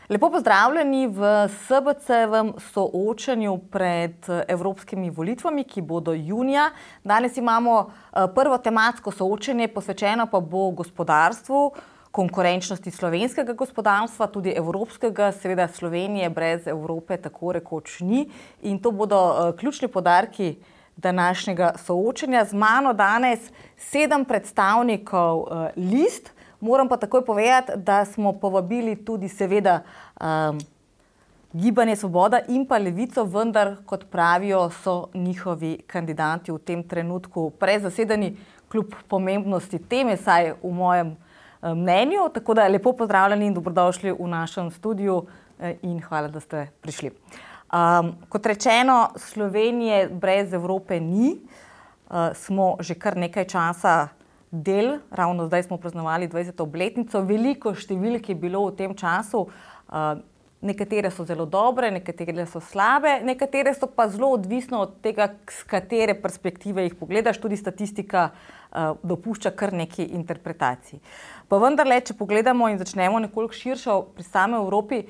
Lepo pozdravljeni v SBC-vem soočanju pred evropskimi volitvami, ki bodo junija. Danes imamo prvo tematsko soočenje, posvečeno pa bo gospodarstvu, konkurenčnosti slovenskega gospodarstva, tudi evropskega, seveda Slovenije brez Evrope tako rekoč ni. In to bodo ključni poudarki današnjega soočenja. Z mano danes 7 predstavnikov list. Moram pa takoj povedati, da smo povabili tudi seveda Gibanje Svoboda in pa Levico, vendar, kot pravijo, so njihovi kandidati v tem trenutku prezasedeni kljub pomembnosti teme, saj v mojem mnenju. Tako da lepo pozdravljeni in dobrodošli v našem studiu in hvala, da ste prišli. Kot rečeno, Slovenije brez Evrope ni. Smo že kar nekaj časa del, ravno zdaj smo praznovali 20. obletnico, veliko številk je bilo v tem času, nekatere so zelo dobre, nekatere so slabe, nekatere so pa zelo odvisno od tega, z katere perspektive jih pogledaš, tudi statistika dopušča kar nekaj interpretacij. Pa vendarle, če pogledamo in začnemo nekoliko širšo pri sami Evropi,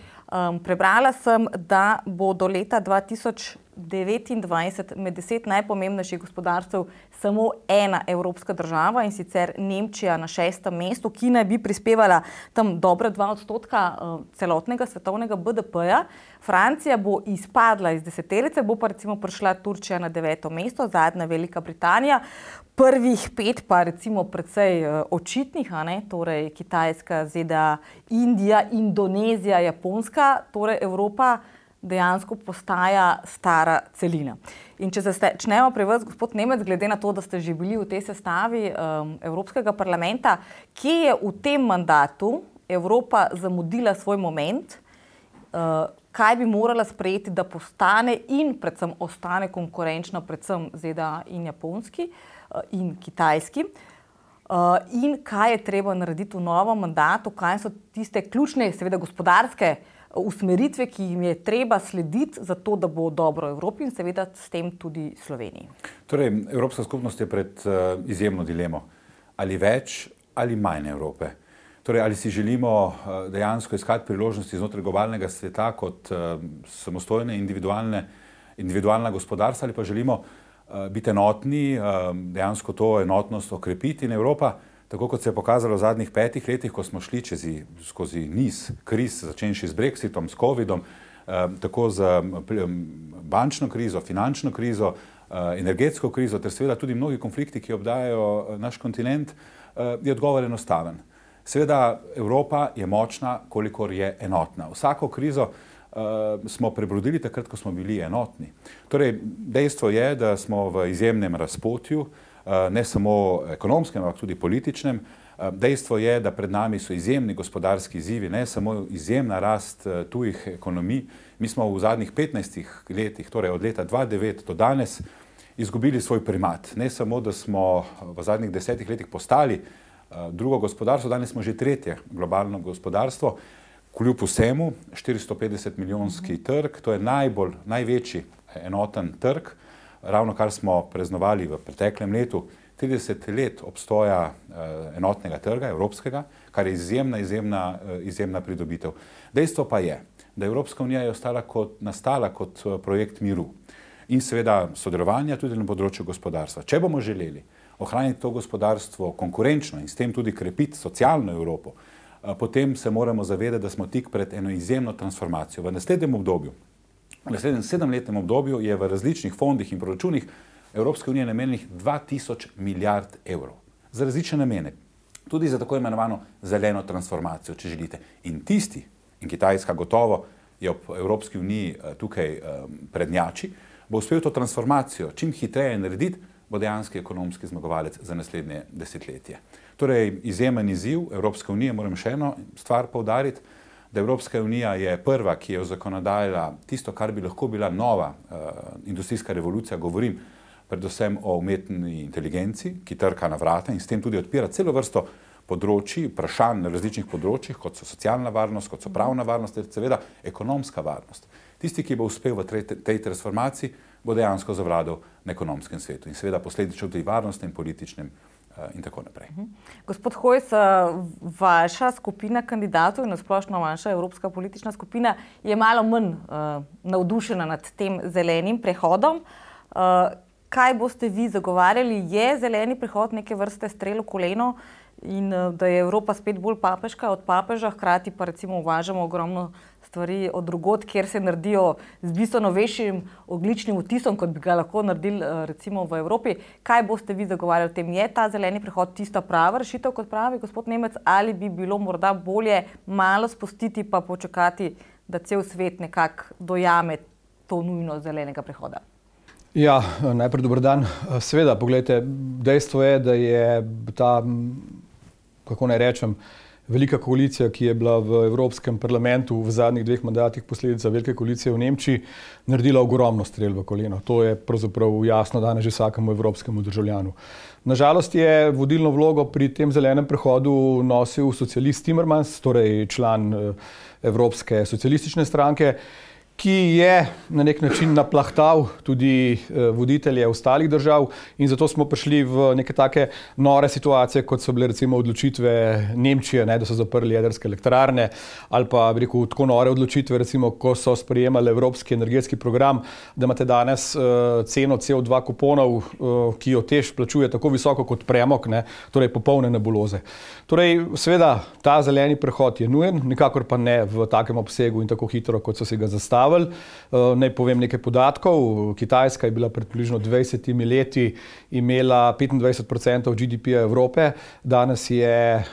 prebrala sem, da bo do leta 2029 med 10 najpomembnejših gospodarstev samo ena evropska država, in sicer Nemčija na 6. mestu, ki naj bi prispevala tam dobra 2% celotnega svetovnega BDP-ja. Francija bo izpadla iz deseterice, bo pa recimo prišla Turčija na 9. mesto, zadnja Velika Britanija. Prvih 5 pa recimo precej očitnih, torej Kitajska, ZDA, Indija, Indonezija, Japonska, torej Evropa dejansko postaja stara celina. In če začnemo pri vas, gospod Nemec, glede na to, da ste že bili v tej sestavi Evropskega parlamenta, kje je v tem mandatu Evropa zamudila svoj moment, kaj bi morala sprejeti, da postane in predvsem ostane konkurenčna predvsem ZDA in Japonski in Kitajski, in kaj je treba narediti v novem mandatu, kaj so tiste ključne, seveda gospodarske usmeritve, ki jim je treba slediti za to, da bo dobro Evropi in seveda s tem tudi Sloveniji. Torej, Evropska skupnost je pred izjemno dilemo. Ali več ali manj Evrope. Torej, ali si želimo dejansko iskati priložnosti znotraj globalnega sveta kot samostojne, individualna gospodarstva, ali pa želimo biti enotni, dejansko to enotnost okrepiti in Evropa, tako kot se je pokazalo v zadnjih 5 letih, ko smo šli skozi niz kriz, začenši z Brexitom, s Covidom, tako z bančno krizo, finančno krizo, energetsko krizo, ter seveda tudi mnogi konflikti, ki obdajajo naš kontinent, je odgovor enostaven. Seveda Evropa je močna, kolikor je enotna. Vsako krizo smo prebrodili takrat, ko smo bili enotni. Torej, dejstvo je, da smo v izjemnem razpotju, ne samo ekonomskem, ampak tudi političnem. Dejstvo je, da pred nami so izjemni gospodarski izzivi, ne samo izjemna rast tujih ekonomij. Mi smo v zadnjih 15 letih, torej od leta 2009 do danes, izgubili svoj primat. Ne samo, da smo v zadnjih 10 letih postali drugo gospodarstvo, danes smo že tretje globalno gospodarstvo. Kljub vsemu, 450 milijonski trg, to je največji enoten trg, ravno kar smo praznovali v preteklem letu, 30 let obstoja enotnega trga, evropskega, kar je izjemna pridobitev. Dejstvo pa je, da Evropska unija je nastala kot projekt miru in seveda sodelovanja tudi na področju gospodarstva. Če bomo želeli ohraniti to gospodarstvo konkurenčno in s tem tudi krepiti socialno Evropo, potem se moramo zavedati, da smo tik pred eno izjemno transformacijo. V naslednjem 7-letnem obdobju je v različnih fondih in proračunih Evropske unije namenjenih 2000 milijard evrov za različne namene, tudi za tako imenovano zeleno transformacijo, če želite. In Kitajska gotovo je ob Evropski uniji tukaj prednjači, bo uspel to transformacijo čim hitreje narediti, bo dejanski ekonomski zmagovalec za naslednje desetletje. Torej, izjemen izziv Evropske unije, moram še eno stvar poudariti, da Evropska unija je prva, ki je zakonodajala tisto, kar bi lahko bila nova industrijska revolucija, govorim predvsem o umetni inteligenci, ki trka na vrata in s tem tudi odpira celo vrsto področji, vprašanj na različnih področjih, kot so socialna varnost, kot so pravna varnost, ter seveda ekonomska varnost. Tisti, ki bo uspel v tej transformaciji, bo dejansko zavladal na ekonomskem svetu in seveda posledično tudi varnostnem in političnem in tako naprej. Gospod Hojs, vaša skupina kandidatov in nasplošno vaša evropska politična skupina je malo manj navdušena nad tem zelenim prehodom. Kaj boste vi zagovarjali? Je zeleni prehod neke vrste strel v koleno in da je Evropa spet bolj papeška od papeža, hkrati pa recimo uvažamo ogromno stvari od drugod, kjer se naredijo z bistveno večjim ogljičnim odtisom, kot bi ga lahko naredili recimo v Evropi. Kaj boste vi zagovarjali v tem? Je ta zeleni prehod tista prava rešitev, kot pravi gospod Nemec, ali bi bilo morda bolje malo spustiti pa počakati, da cel svet nekako dojame to nujnost zelenega prehoda? Ja, najprej dober dan. Seveda, poglejte, dejstvo je, da je ta, kako naj rečem, velika koalicija, ki je bila v Evropskem parlamentu v zadnjih 2 mandatih posledica velike koalicije v Nemčiji, naredila ogromno strel v koleno. To je pravzaprav jasno danes že vsakemu evropskemu državljanu. Nažalost je vodilno vlogo pri tem zelenem prehodu nosil socialist Timmermans, torej član Evropske socialistične stranke, ki je na nek način naplahtal tudi voditelje ostalih držav in zato smo prišli v neke take nore situacije, kot so bile recimo odločitve Nemčije, da so zaprli jedrske elektrarne, ali pa bi rekel tako nore odločitve, recimo, ko so sprejemali Evropski energetski program, da imate danes ceno CO2 kuponov, ki jo TEŠ plačuje tako visoko kot premog, torej popolne nebuloze. Torej, seveda, ta zeleni prehod je nujen, nikakor pa ne v takem obsegu in tako hitro, kot so si ga zastavili. Naj povem nekaj podatkov. Kitajska je bila pred približno 20 leti imela 25% GDP-ja Evrope, danes je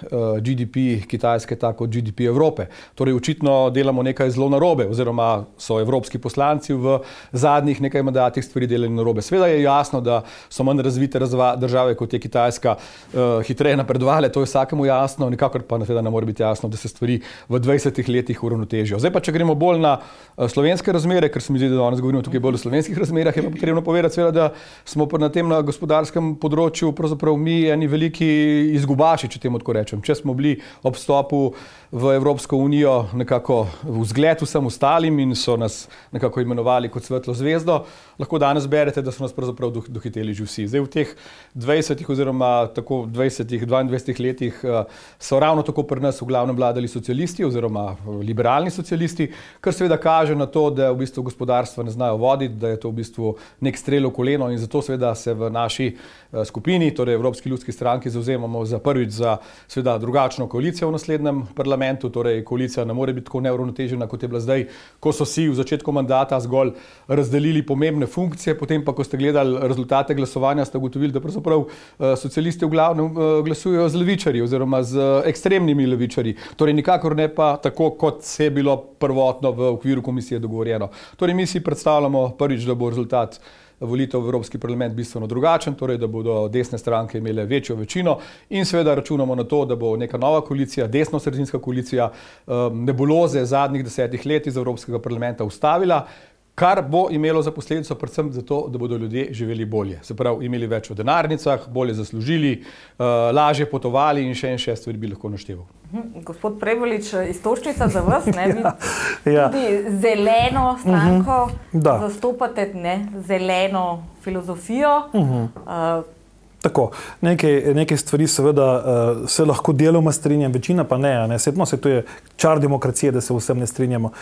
GDP Kitajske tako kot GDP Evrope. Torej očitno delamo nekaj zelo narobe, oziroma so evropski poslanci v zadnjih nekaj mandatih stvari delali narobe. Sveda je jasno, da so manj razvite države kot je Kitajska hitreje napredovale, to je vsakemu jasno, nikakor pa ne more biti jasno, da se stvari v 20 letih uravnotežijo. Zdaj pa, če gremo bolj na slovenske razmere, ker se mi zdi, da danes govorimo tukaj bolj o slovenskih razmerah, je pa potrebno povedati, seveda, da smo na tem gospodarskem področju pravzaprav mi eni veliki izgubači, če temu tako rečem. Če smo bili ob vstopu v Evropsko unijo nekako v zgled vsem ostalim in so nas nekako imenovali kot svetlo zvezdo, lahko danes berete, da so nas pravzaprav dohiteli že vsi. Zdaj v teh 20 oziroma tako 22 letih so ravno tako pri nas v glavnem vladali socialisti oziroma liberalni socialisti, kar seveda kaže na to, da v bistvu gospodarstva ne znajo voditi, da je to v bistvu nek strel v koleno in zato seveda se v naši skupini, torej Evropski ljudski stranki, zavzemamo za prvič za seveda drugačno koalicijo v naslednjem parlamentu, torej koalicija ne more biti tako neuravnotežena, kot je bila zdaj, ko so si v začetku mandata zgolj razdelili pomembne funkcije, potem pa, ko ste gledali rezultate glasovanja, ste ugotovili, da pravzaprav socialisti v glavnem glasujejo z levičarji oziroma z ekstremnimi levičarji, torej nikakor ne pa tako, kot se je bilo prvotno v okviru komisije dogovorjeno. Torej mi si predstavljamo prvič, da bo rezultat volitev v Evropski parlament bistveno drugačen, torej da bodo desne stranke imele večjo večino in seveda računamo na to, da bo neka nova koalicija, desno-sredinska koalicija, nebuloze zadnjih 10 let iz Evropskega parlamenta ustavila, kar bo imelo za posledico predvsem zato, da bodo ljudje živeli bolje. Se pravi, imeli več v denarnicah, bolje zaslužili, lažje potovali in še stvari bi lahko našteval. Gospod Prevoljič, istočnica za vas, tudi zeleno stranko zastopate, zeleno filozofijo. Tako, nekaj stvari seveda se lahko deloma strinjam, večina pa ne. Sedno se to je čar demokracije, da se vsem ne strinjamo.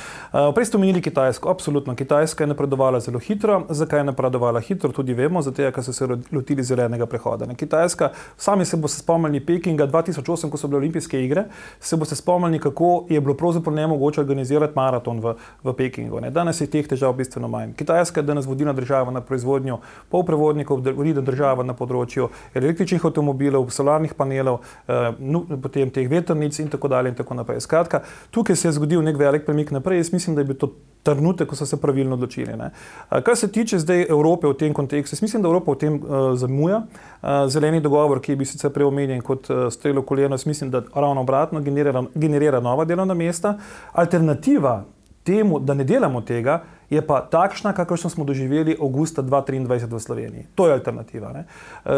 Prej ste omenili Kitajsko, absolutno. Kitajska je napredovala zelo hitro. Zakaj je napredovala hitro, tudi vemo, zato ker so se lotili zelenega prehoda. Kitajska, sami se boste spomnili Pekinga 2008, ko so bile olimpijske igre, se boste spomnili, kako je bilo pravzaprav nemogoče organizirati maraton v Pekingu. Danes je teh težav bistveno manj. Kitajska je danes vodilna država na proizvodnju polprevodnikov, vodilna država na področju električnih avtomobilov, solarnih panelov, potem teh vetrnic in tako dalje in tako naprej. Skratka, tukaj se je zgodil nek velik premik naprej. Jaz mislim, da je bil to trenutek, ko so se pravilno odločili. Kar se tiče zdaj Evrope v tem kontekstu, jaz mislim, da Evropa v tem zamuja. Zeleni dogovor, ki je bil sicer prej omenjen kot strel v koleno, jaz mislim, da ravno obratno generira nova delovna mesta. Alternativa temu, da ne delamo tega, je pa takšna, kakršno smo doživeli avgusta 2023 v Sloveniji. To je alternativa. Ne?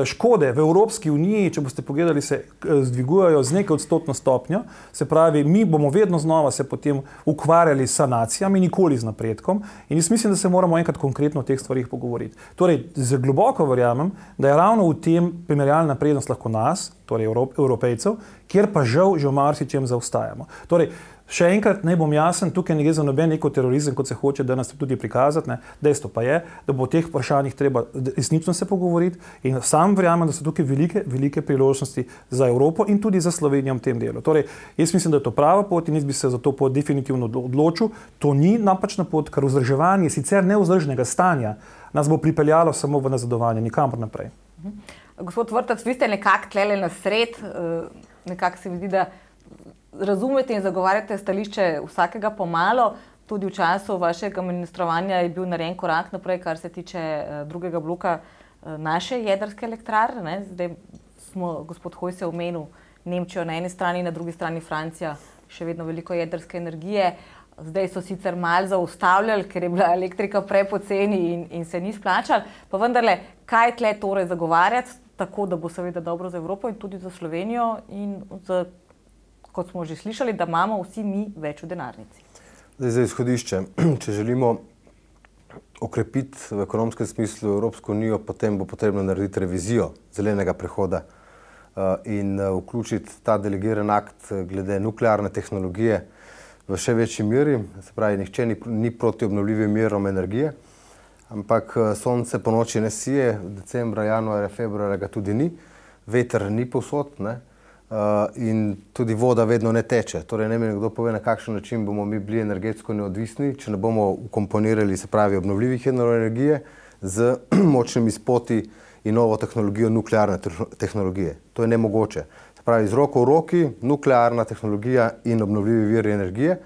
Škode v Evropski uniji, če boste pogledali, se zdvigujejo z nekaj odstotno stopnjo, se pravi, mi bomo vedno znova se potem ukvarjali s sanacijami, nikoli z napredkom in jaz mislim, da se moramo enkrat konkretno o teh stvarih pogovoriti. Torej, globoko verjamem, da je ravno v tem primerjalna prednost lahko nas, torej Evropejcev, kjer pa žal že v marsičem zaostajamo. Torej, še enkrat naj bom jasen, tukaj ne gre za noben neko terorizem, kot se hoče danes tudi prikazati. Ne. Dejstvo pa je, da bo o teh vprašanjih treba resnično se pogovoriti in sam verjamem, da so tukaj velike priložnosti za Evropo in tudi za Slovenijo v tem delu. Torej, jaz mislim, da je to prava pot in jaz bi se za to pot definitivno odločil. To ni napačna pot, ker vzdrževanje sicer nevzdržnega stanja nas bo pripeljalo samo v nazadovanje, nikamor naprej. Gospod Vrtac, vi ste nekako tlele na sred, nekako se mi zdi, da razumete in zagovarjate stališče vsakega pomalo. Tudi v času vašega ministrovanja je bil narejen korak naprej, kar se tiče drugega bloka naše jedrske elektrarne. Zdaj smo, gospod Hojs je omenil Nemčijo na eni strani, na drugi strani Francija, še vedno veliko jedrske energije. Zdaj so sicer malo zaustavljali, ker je bila elektrika prepoceni in se ni splačala. Pa vendarle, kaj tle torej zagovarjati, tako da bo seveda dobro za Evropo in tudi za Slovenijo in za, kot smo že slišali, da imamo vsi mi več v denarnici. Zdaj za izhodišče. Če želimo okrepiti v ekonomskem smislu Evropsko unijo, potem bo potrebno narediti revizijo zelenega prehoda in vključiti ta delegiran akt glede nuklearne tehnologije v še večji meri. Se pravi, nihče ni proti obnovljivim virom energije, ampak sonce po noči ne sije, decembra, januarja, februarja ga tudi ni, veter ni povsod, ne? In tudi voda vedno ne teče. Torej, ne vem, kdo pove, na kakšen način bomo mi bili energetsko neodvisni, če ne bomo ukomponirali, se pravi, obnovljivih virov energije z močnimi spoti in novo tehnologijo nuklearne tehnologije. To je nemogoče. Se pravi, z roko v roki, nuklearna tehnologija in obnovljivi viri energije.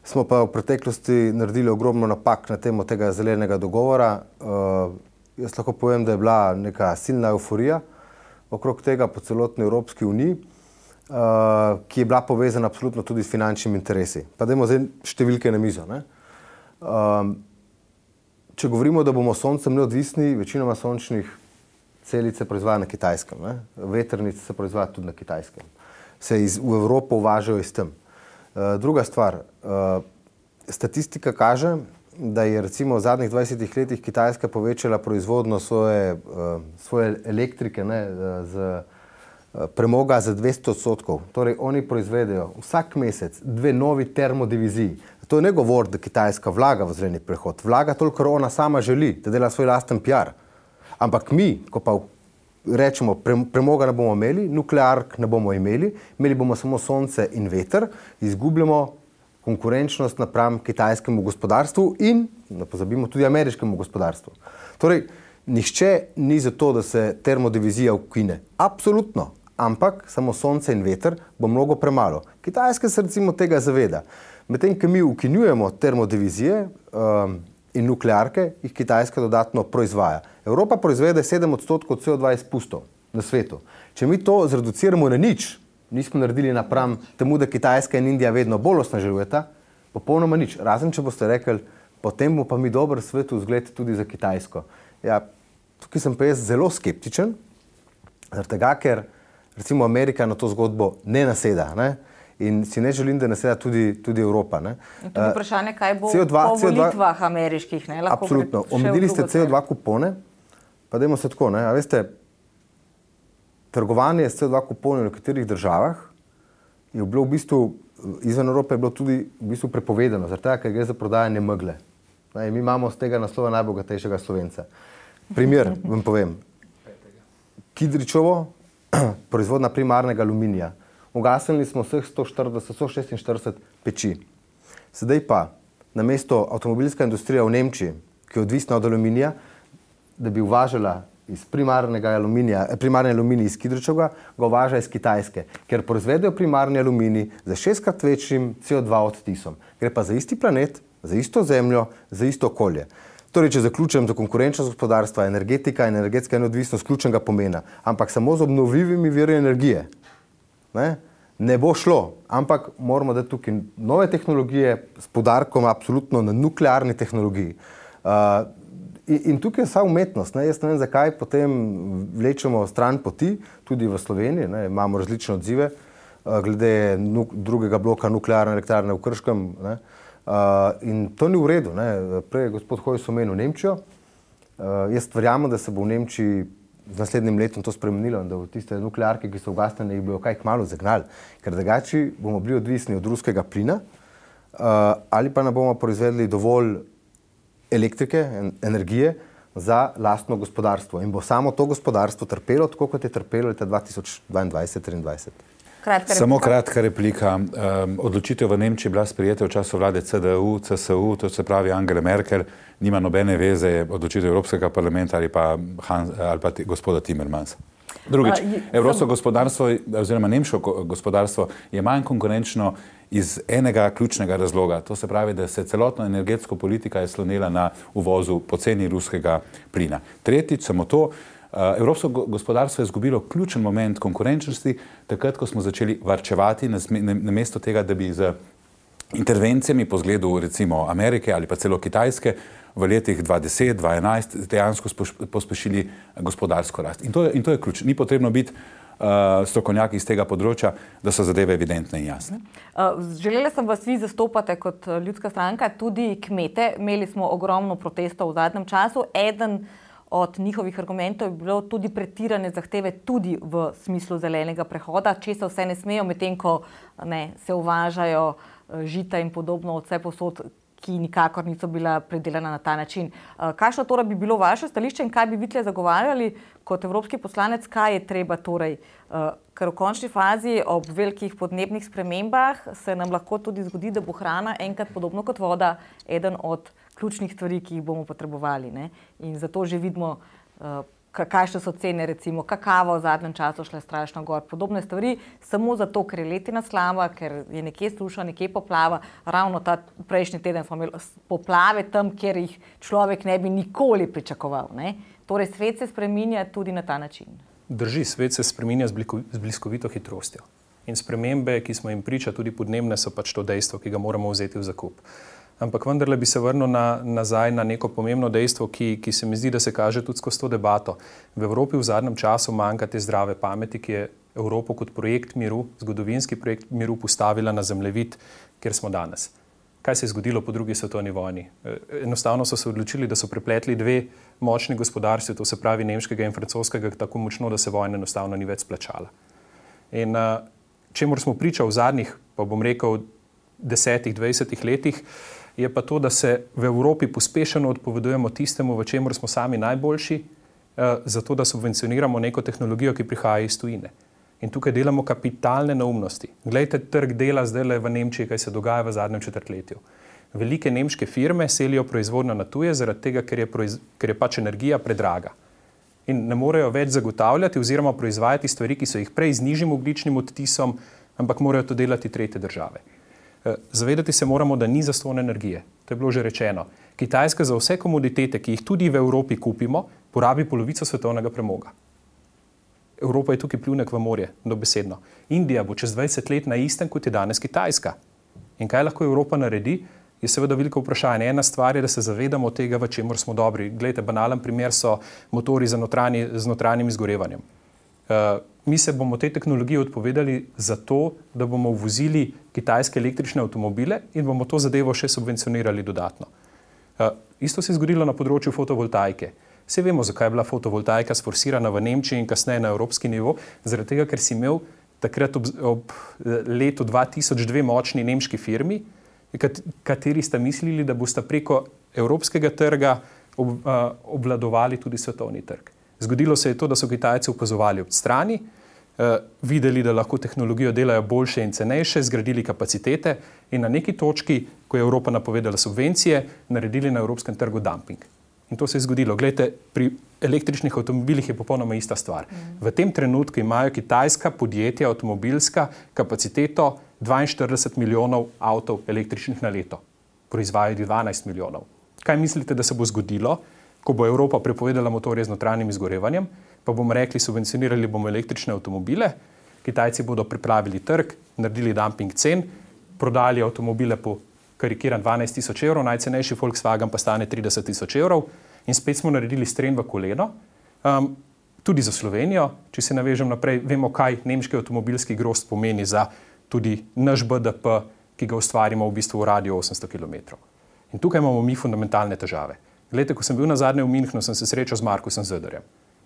Smo pa v preteklosti naredili ogromno napak na temo tega zelenega dogovora. Jaz lahko povem, da je bila neka silna euforija okrog tega po celotni Evropski uniji, ki je bila povezana absolutno tudi s finančnimi interesi. Pa dajmo zdaj številke na mizo. Ne? Če govorimo, da bomo soncem neodvisni, večinoma sončnih celic se proizvaja na Kitajskem. Ne? Vetrnice se proizvaja tudi na Kitajskem. Se v Evropo uvažajo iz tem. Druga stvar, statistika kaže, da je recimo v zadnjih 20 letih Kitajska povečala proizvodno svoje elektrike, ne, premoga za 200%. Torej, oni proizvedejo vsak mesec 2 novi termodiviziji. To je ne govor, da Kitajska vlaga v zeleni prehod. Vlaga toliko, kar ona sama želi, da dela svoj lasten PR. Ampak mi, ko pa rečemo, premoga ne bomo imeli, nukleark ne bomo imeli bomo samo sonce in veter, izgubljamo konkurenčnost napram kitajskemu gospodarstvu in, ne pozabimo, tudi ameriškemu gospodarstvu. Torej, nihče ni za to, da se termodivizija ukine. Absolutno. Ampak samo sonce in veter bo mnogo premalo. Kitajska se recimo tega zaveda. Medtem, ko mi ukinjujemo termodivizije in nuklearke, jih Kitajska dodatno proizvaja. Evropa proizvede 7% CO2 izpustov na svetu. Če mi to zreduciramo na nič, nismo naredili napram temu, da Kitajska in Indija vedno bolj osnažujeta, popolnoma nič. Razen, če boste rekli, potem bo pa mi dober svetu vzgled tudi za Kitajsko. Ja, tukaj sem pa jaz zelo skeptičen, zaradi tega, ker recimo Amerika na to zgodbo ne naseda, ne? In si ne želim, da naseda tudi Evropa. Ne? In tudi vprašanje, kaj bo po volitvah ameriških. Ne? Absolutno. Omenili ste CO2 kupone, pa dajmo se tako. Ne? A veste, trgovanje s CO2 kuponi v nekaterih državah je bilo v bistvu, izven Evrope je bilo tudi v bistvu prepovedano, zaradi tega, ker gre za prodajanje megle. Ne? Mi imamo z tega naslova najbogatejšega Slovenca. Primer vam povem. Kidričevo, proizvodnja primarnega aluminija. Ugasnili smo vseh 146 peči. Sedaj pa, namesto avtomobilska industrija v Nemčiji, ki je odvisna od aluminija, da bi uvažala iz primarni aluminij iz Kidričevega, ga uvaža iz Kitajske, ker proizvedejo primarni aluminij za 6-krat večjim CO2 odtisom. Gre pa za isti planet, za isto zemljo, za isto okolje. Torej, če zaključujem, za konkurenčnost gospodarstva, energetika in energetska neodvisnost ključnega pomena, ampak samo z obnovljivimi viri energije, ne, Ne bo šlo, ampak moramo dati tukaj nove tehnologije s poudarkom absolutno na nuklearni tehnologiji. In tukaj je vsa umetnost. Jaz ne vem, zakaj potem vlečemo stran poti, tudi v Sloveniji. Imamo različne odzive glede drugega bloka nuklearne elektrarne v Krškem. In to ni v redu. Prej je gospod Hojs omenil Nemčijo. Jaz verjamem, da se bo v Nemčiji z naslednjim letom to spremenilo in da v tiste nuklearke, ki so ugasnjene, jih bojo kaj kmalu zagnali. Ker drugače bomo bili odvisni od ruskega plina ali pa ne bomo proizvedli dovolj elektrike, energije za lastno gospodarstvo. In bo samo to gospodarstvo trpelo, tako kot je trpelo leta 2022-2023. Samo kratka replika. Odločitev v Nemčiji bila sprejeta v času vlade CDU, CSU, to se pravi Angela Merkel, nima nobene veze odločitev Evropskega parlamenta ali pa gospoda Timmermansa. Drugič, evropsko gospodarstvo oziroma nemško gospodarstvo je manj konkurenčno iz enega ključnega razloga. To se pravi, da se celotna energetska politika je slonela na uvozu poceni ruskega plina. Tretjič, samo to, evropsko gospodarstvo je izgubilo ključen moment konkurenčnosti, takrat, ko smo začeli varčevati, namesto tega, da bi z intervencijami po zgledu recimo Amerike ali pa celo Kitajske v letih 2010, 2011 dejansko pospešili gospodarsko rast. In to je ključ. Ni potrebno biti strokovnjaki iz tega področja, da so zadeve evidentne in jasne. Želela sem vas vi zastopate kot ljudska stranka, tudi kmete. Imeli smo ogromno protestov v zadnjem času. Eden od njihovih argumentov je bilo tudi pretirane zahteve tudi v smislu zelenega prehoda, česa vse ne smejo, medtem ko se uvažajo žita in podobno od vse posod, ki nikakor niso bila predelana na ta način. Kakšno torej bi bilo vaše stališče in kaj bi vi tle zagovarjali kot evropski poslanec, kaj je treba torej, ker v končni fazi ob velikih podnebnih spremembah se nam lahko tudi zgodi, da bo hrana enkrat podobno kot voda eden od ključnih stvari, ki jih bomo potrebovali. In zato že vidimo, kakšne so cene, recimo kakava v zadnjem času šla strašno gor, podobne stvari, samo zato, ker je letina slaba, ker je nekje suša, nekje poplava. Ravno ta prejšnji teden smo imeli poplave tam, kjer jih človek ne bi nikoli pričakoval. Torej, svet se spreminja tudi na ta način. Drži, svet se spreminja z bliskovito hitrostjo. In spremembe, ki smo jim priča, tudi podnebne, so pač to dejstvo, ki ga moramo vzeti v zakup. Ampak vendarle bi se vrnil nazaj na neko pomembno dejstvo, ki se mi zdi, da se kaže tudi skozi to debato. V Evropi v zadnjem času manjka te zdrave pameti, ki je Evropo kot projekt miru, zgodovinski projekt miru postavila na zemljevid, kjer smo danes. Kaj se je zgodilo po drugi svetovni vojni? Enostavno so se odločili, da so prepletli dve močni gospodarstvi, to se pravi nemškega in francoskega, tako močno, da se vojna enostavno ni več splačala. In čemur smo priča v zadnjih, pa bom rekel, 10-20 letih, je pa to, da se v Evropi pospešeno odpovedujemo tistemu, v čemur smo sami najboljši, zato da subvencioniramo neko tehnologijo, ki prihaja iz tujine. In tukaj delamo kapitalne neumnosti. Glejte trg dela zdaj v Nemčiji, kaj se dogaja v zadnjem četrtletju. Velike nemške firme selijo proizvodnjo na tuje, zaradi tega, ker je pač energija predraga. In ne morejo več zagotavljati oziroma proizvajati stvari, ki so jih prej z nižjim ogljičnim odtisom, ampak morajo to delati tretje države. Zavedati se moramo, da ni zastonj energije. To je bilo že rečeno. Kitajska za vse komoditete, ki jih tudi v Evropi kupimo, porabi polovico svetovnega premoga. Evropa je tukaj pljunek v morje, dobesedno. Indija bo čez 20 let na istem, kot je danes Kitajska. In kaj lahko Evropa naredi, je seveda veliko vprašanje. Ena stvar je, da se zavedamo tega, v čemur smo dobri. Glejte, banalen primer so motori z notranjim izgorevanjem. Mi se bomo tej tehnologiji odpovedali zato, da bomo uvozili kitajske električne avtomobile in bomo to zadevo še subvencionirali dodatno. Isto se je zgodilo na področju fotovoltaike. Vse vemo, zakaj je bila fotovoltaika sforsirana v Nemčiji in kasneje na evropski nivo, zaradi tega, ker si imel takrat ob letu 2002 močni nemški firmi, kateri sta mislili, da bosta preko evropskega trga obvladovali tudi svetovni trg. Zgodilo se je to, da so Kitajci opazovali od strani, videli, da lahko tehnologijo delajo boljše in cenejše, zgradili kapacitete in na neki točki, ko je Evropa napovedala subvencije, naredili na evropskem trgu dumping. In to se je zgodilo. Glejte, pri električnih avtomobilih je popolnoma ista stvar. V tem trenutku imajo kitajska podjetja avtomobilska kapaciteto 42 milijonov avtov električnih na leto. Proizvajajo 12 milijonov. Kaj mislite, da se bo zgodilo, ko bo Evropa prepovedala motorje z notranjim izgorevanjem, pa bomo rekli, subvencionirali bomo električne avtomobile, Kitajci bodo pripravili trg, naredili dumping cen, prodali avtomobile po karikiran 12.000 evrov, najcenejši Volkswagen pa stane 30.000 evrov in spet smo naredili stren v koleno. Tudi za Slovenijo, če se navežem naprej, vemo, kaj nemški avtomobilski grozd pomeni za tudi naš BDP, ki ga ustvarimo v bistvu v radiju 800 km. In tukaj imamo mi fundamentalne težave. Glejte, ko sem bil nazadnje v Münchnu, sem se srečal z Markusom Söderjem.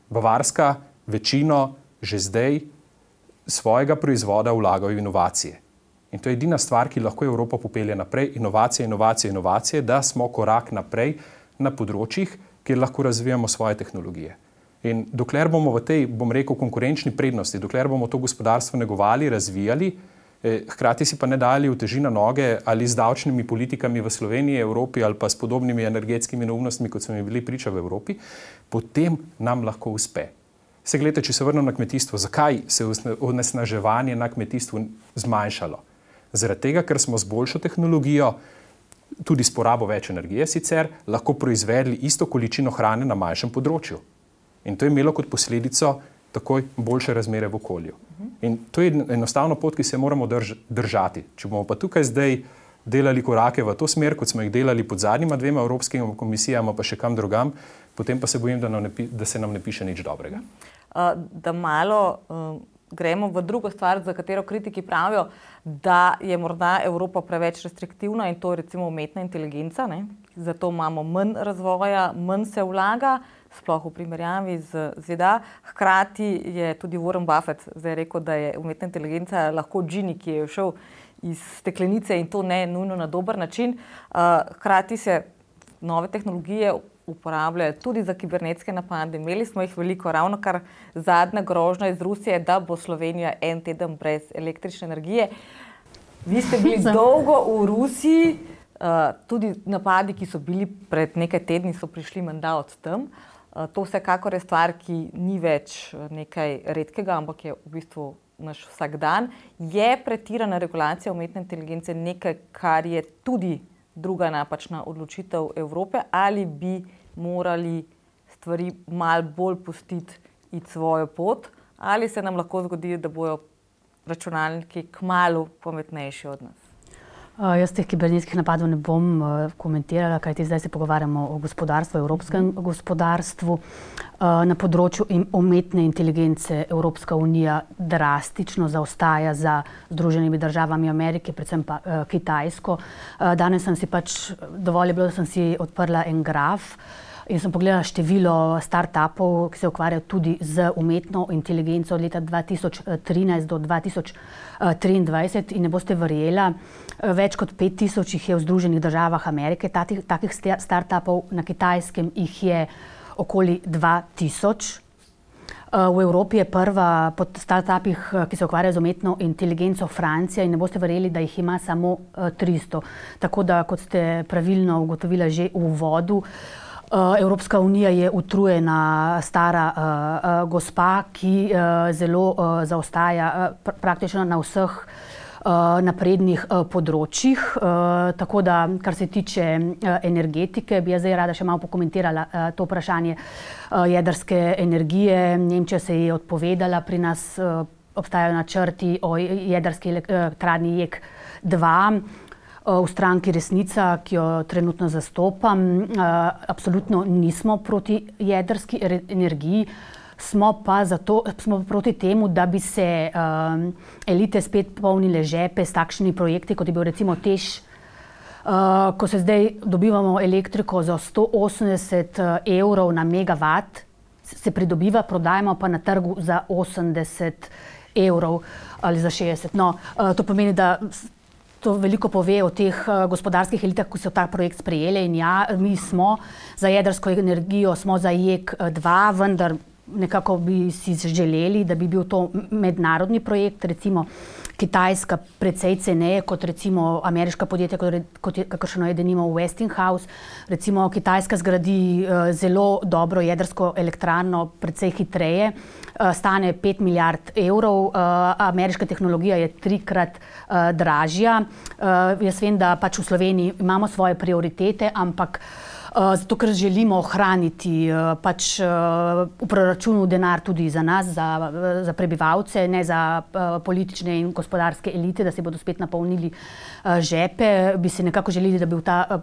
Bavarska večino že zdaj svojega proizvoda vlaga v inovacije. In to je edina stvar, ki lahko Evropo popelje naprej. Inovacije, da smo korak naprej na področjih, kjer lahko razvijamo svoje tehnologije. In dokler bomo v tej, bom rekel, konkurenčni prednosti, dokler bomo to gospodarstvo negovali, razvijali, hkrati si pa ne dali uteži na noge ali z davčnimi politikami v Sloveniji, Evropi ali pa s podobnimi energetskimi neumnostmi, kot smo jim bili priča v Evropi, potem nam lahko uspe. Se gledajte, če se vrnem na kmetijstvo, zakaj se je onesnaževanje na kmetijstvu zmanjšalo? Zaradi tega, ker smo z boljšo tehnologijo, tudi s porabo več energije sicer, lahko proizvedli isto količino hrane na manjšem področju. In to je imelo kot posledico takoj boljše razmere v okolju. In to je enostavno pot, ki se moramo držati. Če bomo pa tukaj zdaj delali korake v to smer, kot smo jih delali pod zadnjima 2 evropskimi komisijama, pa še kam drugam, potem pa se bojim, da se nam ne piše nič dobrega. Da malo gremo v drugo stvar, za katero kritiki pravijo, da je morda Evropa preveč restriktivna in to je recimo umetna inteligenca, ne? Zato imamo manj razvoja, manj se vlaga, sploh v primerjavi z ZDA. Hkrati je tudi Warren Buffett zdaj rekel, da je umetna inteligenca lahko džini, ki je šel iz steklenice in to ne nujno na dober način. Hkrati se nove tehnologije uporabljajo tudi za kibernetske napade. Imeli smo jih veliko, ravno kar zadnja grožnja iz Rusije, da bo Slovenija en teden brez električne energije. Vi ste bili dolgo v Rusiji, tudi napadi, ki so bili pred nekaj tedni, so prišli menda od tam. To vsekakor je stvar, ki ni več nekaj redkega, ampak je v bistvu naš vsakdan. Je pretirana regulacija umetne inteligence nekaj, kar je tudi druga napačna odločitev Evrope, ali bi morali stvari malo bolj pustiti iti svojo pot, ali se nam lahko zgodi, da bojo računalniki kmalu pametnejši od nas? Jaz teh kibernetskih napadov ne bom komentirala, kajti zdaj se pogovarjamo o gospodarstvu, evropskem gospodarstvu. Na področju umetne inteligence Evropska unija drastično zaostaja za Združenimi državami Amerike, predvsem pa Kitajsko. Danes sem si dovolj je bilo, da sem si odprla en graf in sem pogledala število start-upov, ki se ukvarjajo tudi z umetno inteligenco od leta 2013 do 2023 in ne boste verjela, več kot 5000 jih je v Združenih državah Amerike, takih start-upov, na Kitajskem jih je okoli 2000. V Evropi je prva po start-upih, ki se ukvarjajo z umetno inteligenco, Francija in ne boste verjeli, da jih ima samo 300. Tako da, kot ste pravilno ugotovila že v uvodu, Evropska unija je utrujena stara gospa, ki zelo zaostaja praktično na vseh naprednih področjih. Tako da, kar se tiče energetike, bi jaz zdaj rada še malo pokomentirala to vprašanje jedrske energije. Nemčija se je odpovedala, pri nas obstajajo načrti o jedrski elektrarni JEK-2. V stranki Resnica, ki jo trenutno zastopam, absolutno nismo proti jedrski energiji, smo pa proti temu, da bi se elite spet polnile žepe s takšnimi projekti, kot je bil recimo TEŠ, ko se zdaj dobivamo elektriko za 180 evrov na megavat, se pridobiva, prodajamo pa na trgu za 80 evrov ali za 60. No, to pomeni, da to veliko pove o teh gospodarskih elitah, ki so ta projekt sprejeli in ja, mi smo za jedrsko energijo, smo za JEK-2, vendar nekako bi si želeli, da bi bil to mednarodni projekt, recimo Kitajska precej ceneje kot recimo ameriška podjetja, kakršno je denimo Westinghouse. Recimo Kitajska zgradi zelo dobro jedrsko elektrarno precej hitreje, stane 5 milijard evrov, ameriška tehnologija je 3-krat dražja. Jaz vem, da pač v Sloveniji imamo svoje prioritete, ampak zato ker želimo ohraniti pač v proračunu denar tudi za nas, za prebivalce, ne za politične in gospodarske elite, da se bodo spet napolnili žepe. Bi se nekako želeli, da bi ta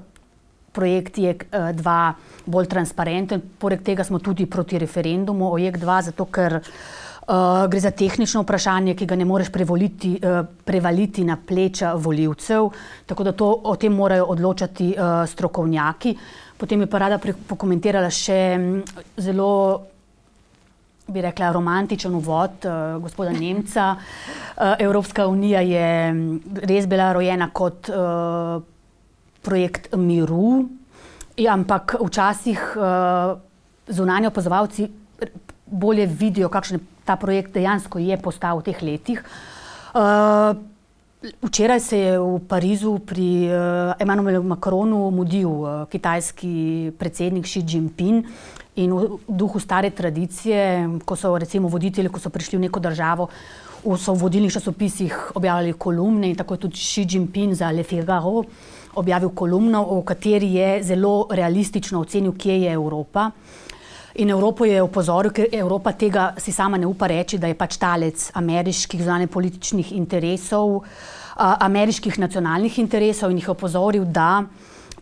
projekt JEK2 bolj transparenten. Poleg tega smo tudi proti referendumu o JEK2, zato ker gre za tehnično vprašanje, ki ga ne moreš prevaliti na pleča volivcev, tako da o tem morajo odločati strokovnjaki. Potem bi pa rada pokomentirala še zelo, bi rekla, romantičen uvod gospoda Nemca. Evropska unija je res bila rojena kot projekt miru, ampak včasih zunanji opazovalci bolje vidijo, kakšen ta projekt dejansko je postal v teh letih. Včeraj se je v Parizu pri Emmanuelu Macronu mudil kitajski predsednik Xi Jinping in v duhu stare tradicije, ko so recimo voditelji, ko so prišli v neko državo, so v vodilnih časopisih objavljali kolumne in tako je tudi Xi Jinping za Le Figaro objavil kolumno, v kateri je zelo realistično ocenil, kje je Evropa. In Evropo je opozoril, ker Evropa tega si sama ne upa reči, da je pač talec ameriških zunanjepolitičnih interesov, ameriških nacionalnih interesov in jih opozoril, da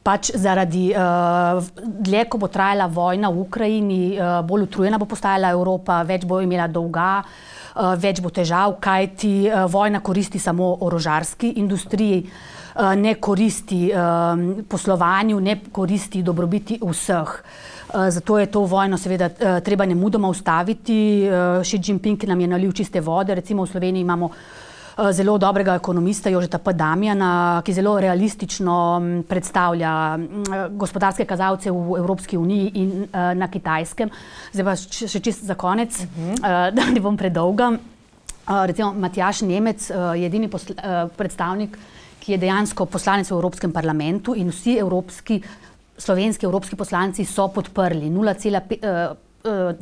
pač zaradi dlje, ko bo trajala vojna v Ukrajini, bolj utrujena bo postajala Evropa, več bo imela dolga, več bo težav, kajti vojna koristi samo orožarski industriji, ne koristi poslovanju, ne koristi dobrobiti vseh. Zato je to vojno seveda treba nemudoma ustaviti. Xi Jinping nam je nalil čiste vode. Recimo v Sloveniji imamo zelo dobrega ekonomista Jožeta P. Damjana, ki zelo realistično predstavlja gospodarske kazalce v Evropski uniji in na Kitajskem. Zdaj pa še čisto za konec, da ne bom predolga. Recimo Matjaž Nemec je edini predstavnik, ki je dejansko poslanec v Evropskem parlamentu in vsi slovenski evropski poslanci so podprli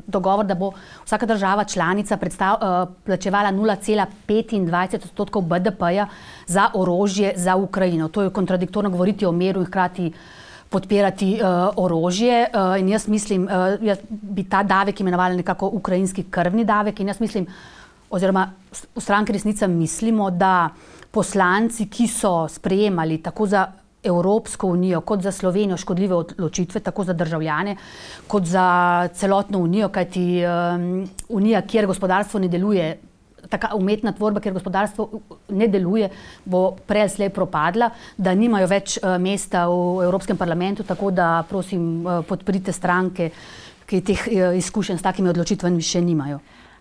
dogovor, da bo vsaka država članica plačevala 0,25% BDP-ja za orožje za Ukrajino. To je kontradiktorno govoriti o miru in hkrati podpirati orožje. In jaz mislim, bi ta davek imenovala nekako ukrajinski krvni davek in jaz mislim, oziroma v Stranki Resnica mislimo, da poslanci, ki so sprejemali tako za Evropsko unijo, kot za Slovenijo škodljive odločitve, tako za državljane, kot za celotno unijo, kajti unija, kjer gospodarstvo ne deluje, taka umetna tvorba, kjer gospodarstvo ne deluje, bo prej ali slej propadla, da nimajo več mesta v Evropskem parlamentu, tako da prosim podprite stranke, ki teh izkušenj s takimi odločitvami še nimajo.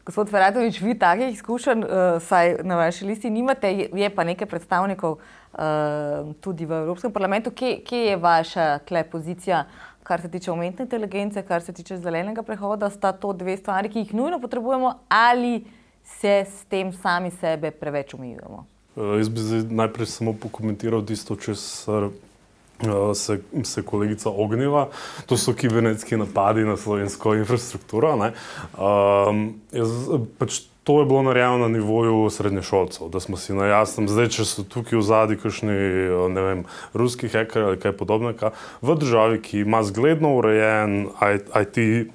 Gospod Ferajtović, vi takih izkušenj saj na vaši listi nimate, je pa nekaj predstavnikov tudi v Evropskem parlamentu. Kje je vaša pozicija, kar se tiče umetne inteligence, kar se tiče zelenega prehoda? Sta to dve stvari, ki jih nujno potrebujemo, ali se s tem sami sebe preveč omejujemo? Jaz bi zdaj najprej samo pokomentiral tisto, česar se kolegica ognila. To so kibernetski napadi na slovensko infrastrukturo. To je bilo narejeno na nivoju srednješolcev, da smo si na jasnem. Zdaj, če so tukaj v zadnji kakšni, ne vem, ruski heker ali kaj podobnega, v državi, ki ima zgledno urejen IT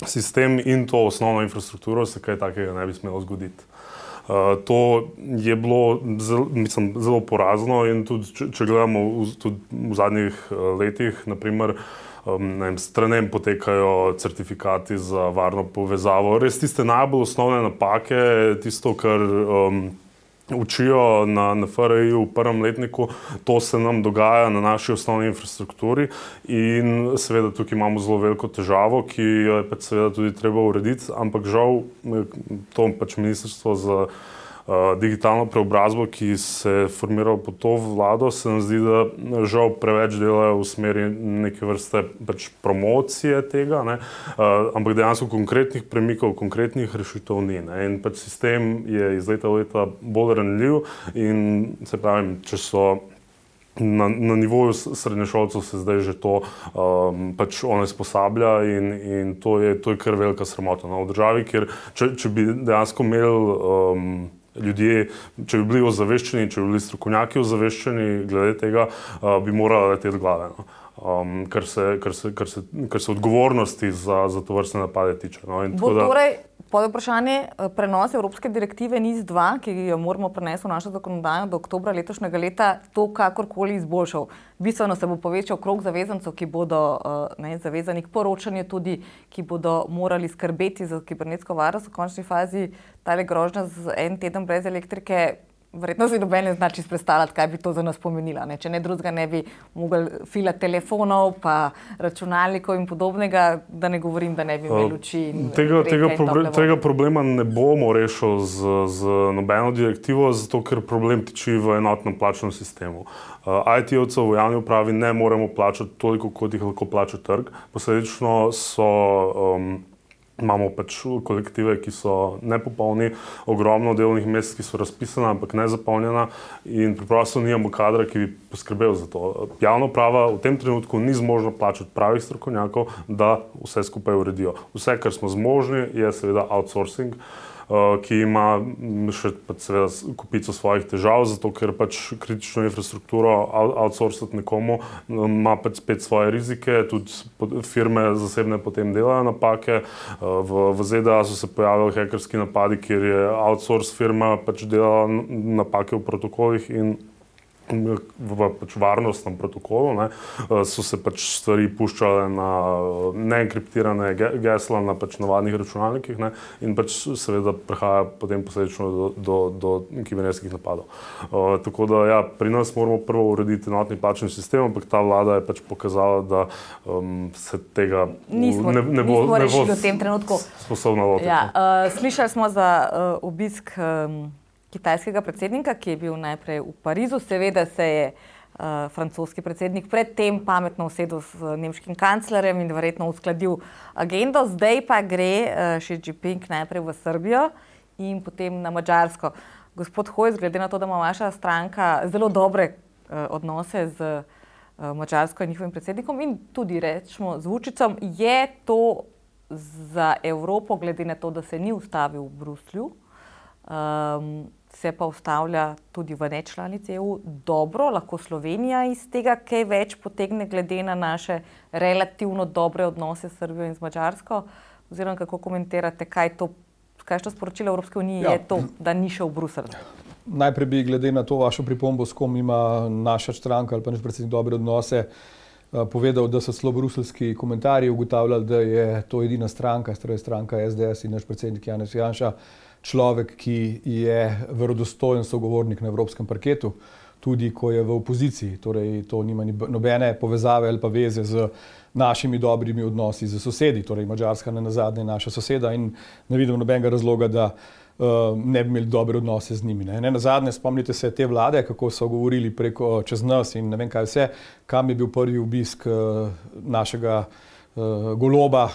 sistem in to osnovno infrastrukturo, se kaj takega ne bi smelo zgoditi. To je bilo zelo porazno in tudi, če gledamo v zadnjih letih, naprimer, s trenem potekajo certifikati za varno povezavo. Res tiste najbolj osnovne napake, tisto, kar učijo na FRI-ju v prvem letniku, to se nam dogaja na naši osnovni infrastrukturi in seveda tukaj imamo zelo veliko težavo, ki jo je seveda tudi treba urediti, ampak žal to ministrstvo za digitalno preobrazbo, ki se je formiralo pod to vlado, se nam zdi, da žal preveč delajo v smeri neke vrste promocije tega, ampak dejansko konkretnih premikov, konkretnih rešitev ni. In sistem je iz leta v leta bolj ranljiv in se pravim, če so na nivoju srednješolcev se zdaj že to onesposablja in to je kar velika sramota. V državi, kjer če bi dejansko imeli ljudje, če bi bili ozaveščeni, če bi bili strokovnjaki ozaveščeni glede tega, bi morali leteti glave. kar se odgovornosti za to vrstne napade tiče. No, Torej, vprašanje, prenos Evropske direktive NIS-2, ki jo moramo prenesti v našo zakonodajo do oktobra letošnjega leta, to kakorkoli izboljšal. Bistveno se bo povečal krog zavezancev, ki bodo zavezani k poročanju tudi, ki bodo morali skrbeti za kibernetsko varnost v končni fazi. Tale grožnja z en teden brez elektrike, verjetno si noben ne zna čisto predstavljati, kaj bi to za nas pomenilo. Če ne drugega, ne bi mogli filati telefonov, pa računalnikov in podobnega, da ne govorim, da ne bi imeli luči. Tega problema ne bomo rešili z nobeno direktivo, zato ker problem tiči v enotnem plačnem sistemu. IT-ovcev v javni upravi ne moremo plačati toliko, kot jih lahko plača trg. Posledično imamo pač kolektive, ki so nepopolni, ogromno delovnih mest, ki so razpisana, ampak ne zapolnjena in preprosto nimamo kadra, ki bi poskrbel za to. Javna uprava v tem trenutku ni zmožna plačati pravih strokovnjakov, da vse skupaj uredijo. Vse, kar smo zmožni, je seveda outsourcing, ki ima še seveda kupico svojih težav, zato ker pač kritično infrastrukturo outsourcati nekomu ima pač spet svoje rizike, tudi firme zasebne potem delajo napake. V ZDA so se pojavili hekerski napadi, kjer je outsource firma pač delala napake v protokolih in v pač varnostnem protokolu, so se pač stvari puščale na neenkriptirane gesla na pač navadnih računalnikih in pač seveda prihaja potem posledično do kibernetskih napadov. Tako da ja, pri nas moramo prvo urediti enotni plačni sistem, ampak ta vlada je pač pokazala, da se tega ne bo sposobna lotiti. Ja, slišali smo za obisk kitajskega predsednika, ki je bil najprej v Parizu. Seveda se je francoski predsednik predtem pametno usedel z nemškim kanclerjem in verjetno uskladil agendo. Zdaj pa gre Xi Jinping najprej v Srbijo in potem na Madžarsko. Gospod Hojs, glede na to, da ima vaša stranka zelo dobre odnose z Madžarsko in njihovim predsednikom in tudi rečemo z Vučićem, je to za Evropo, glede na to, da se ni ustavil v Bruslju, se pa ustavlja tudi v nečlanici EU, dobro, lahko Slovenija iz tega kaj več potegne glede na naše relativno dobre odnose s Srbijo in z Madžarsko? Oziroma, kako komentirate, kaj to sporočilo Evropske unije je to, da ni šel v Bruselj? Najprej bi glede na to vašo pripombo, s kom ima naša stranka ali pa naš predsednik dobre odnose, povedal, da so celo bruselski komentarji ugotavljali, da je to edina stranka, stranka SDS in naš predsednik Janez Janša, človek, ki je verodostojen sogovornik na evropskem parketu, tudi ko je v opoziciji. Torej, to nima nobene povezave ali pa veze z našimi dobrimi odnosi z sosedi. Torej, Madžarska nenazadnje je naša soseda in ne vidim nobenega razloga, da ne bi imeli dobre odnose z njimi. Nenazadnje spomnite se te vlade, kako so govorili preko čez nas in ne vem kaj vse, kam je bil prvi obisk našega Goloba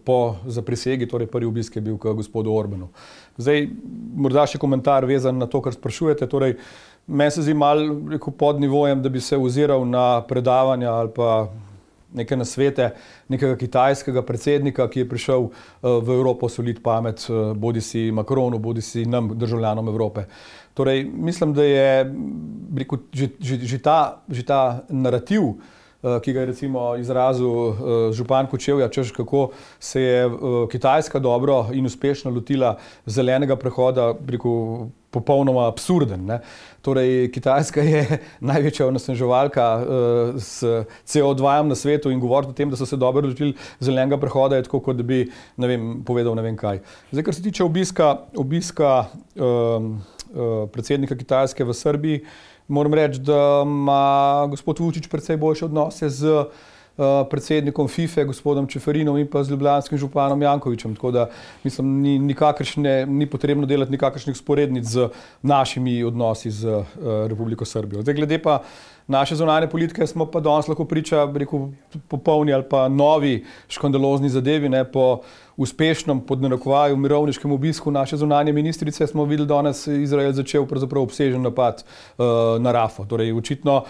po zaprisegi, torej prvi obisk je bil k gospodu Orbanu. Zdaj, morda še komentar vezan na to, kar sprašujete. Torej, meni se zdi malo pod nivojem, da bi se oziral na predavanja ali pa neke nasvete nekega kitajskega predsednika, ki je prišel v Evropo soliti pamet, bodisi Macronu, bodisi nam, državljanom Evrope. Torej, mislim, da je že ta narativ, ki ga je recimo izrazil župan Kočevja, češ kako se je Kitajska dobro in uspešno lotila zelenega prehoda, popolnoma absurden. Torej, Kitajska je največja onesnaževalka s CO2 na svetu in govoriti o tem, da so se dobro lotili zelenega prehoda, je tako, kot da bi povedal ne vem kaj. Zdaj, kar se tiče obiska predsednika Kitajske v Srbiji, moram reči, da ima gospod Vučić precej boljše odnose z predsednikom FIFA, gospodom Čeferinom in pa z ljubljanskim županom Jankovićem. Tako da, mislim, ni potrebno delati nikakršnih sporednic z našimi odnosi z Republiko Srbijo. Zdaj, glede pa naše zunanje politike, smo pa danes lahko priča, popolni ali pa novi škandalozni zadevi. Po uspešnem, pod narekovaju, mirovniškem obisku naše zunanje ministrice smo videli danes Izrael začel pravzaprav obsežen napad na Rafo. Torej, očitno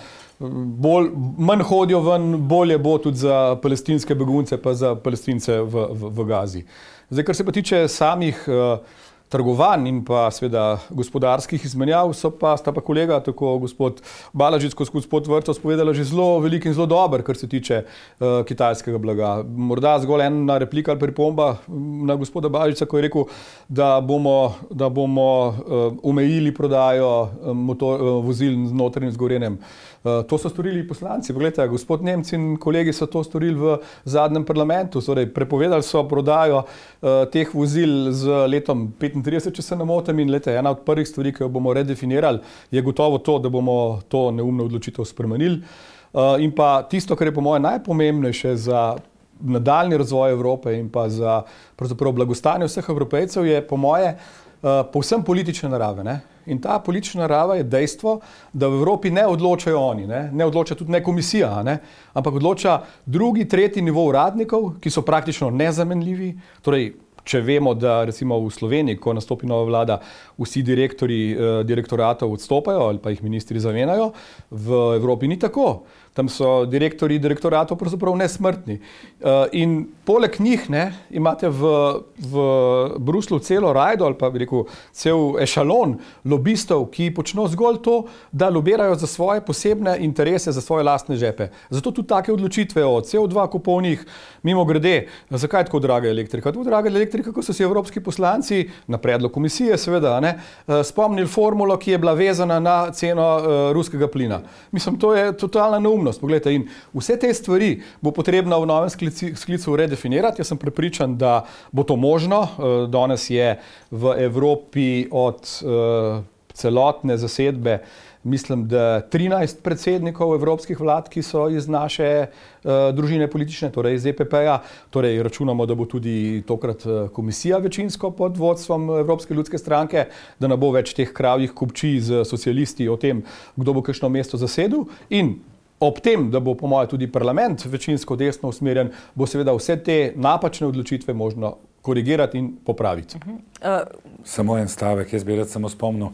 manj hodijo ven, bolje bo tudi za palestinske begunce pa za Palestince v Gazi. Zdaj, kar se pa tiče trgovanj in pa seveda gospodarskih izmenjav sta pa kolega, tako gospod Balažič kot gospod Vrtovec povedala že zelo velik in zelo dober, kar se tiče kitajskega blaga. Morda zgolj ena replika ali pripomba na gospoda Balažiča, ko je rekel, da bomo omejili prodajo vozil z notranjim zgorenjem. To so storili poslanci. Poglejte, gospod Nemec in kolegi so to storili v zadnjem parlamentu. Torej, prepovedali so prodajo teh vozil z letom 35, če se ne motim. In ena od prvih stvari, ki jo bomo redefinirali, je gotovo to, da bomo to neumno odločitev spremenili. In pa tisto, kar je po moje najpomembnejše za nadaljni razvoj Evrope in pa za pravzaprav blagostanje vseh Evropejcev, je po moje povsem politične narave. Ne? In ta politična narava je dejstvo, da v Evropi ne odločajo oni, ne odloča tudi ne komisija, ampak odloča drugi, tretji nivo uradnikov, ki so praktično nezamenljivi. Torej, če vemo, da recimo v Sloveniji, ko nastopi nova vlada, vsi direktorji direktoratov odstopajo ali pa jih ministri zamenjajo, v Evropi ni tako. Tam so direktorji direktoratov pravzaprav nesmrtni. In poleg njih imate v Bruslu celo rajdo ali pa bi rekel cel ešalon lobistov, ki počnejo zgolj to, da lobirajo za svoje posebne interese, za svoje lastne žepe. Zato tudi take odločitve o CO2 kuponih, mimo grede, zakaj tako draga elektrika? Tako draga elektrika, ko so si evropski poslanci na predlog komisije seveda spomnili formulo, ki je bila vezana na ceno ruskega plina. Mislim, to je totalna neumnost. Poglejte, in vse te stvari bo potrebno v novem sklicu redefinirati. Jaz sem prepričan, da bo to možno. Danes je v Evropi od celotne zasedbe, mislim, da 13 predsednikov evropskih vlad, ki so iz naše družine politične, torej iz EPP-ja. Torej računamo, da bo tudi tokrat komisija večinsko pod vodstvom Evropske ljudske stranke, da ne bo več teh kravjih kupčij z socialisti o tem, kdo bo kakšno mesto zasedel. In ob tem, da bo po moje tudi parlament večinsko desno usmerjen, bo seveda vse te napačne odločitve možno korigirati in popraviti. Samo en stavek, jaz bi rad samo spomnil,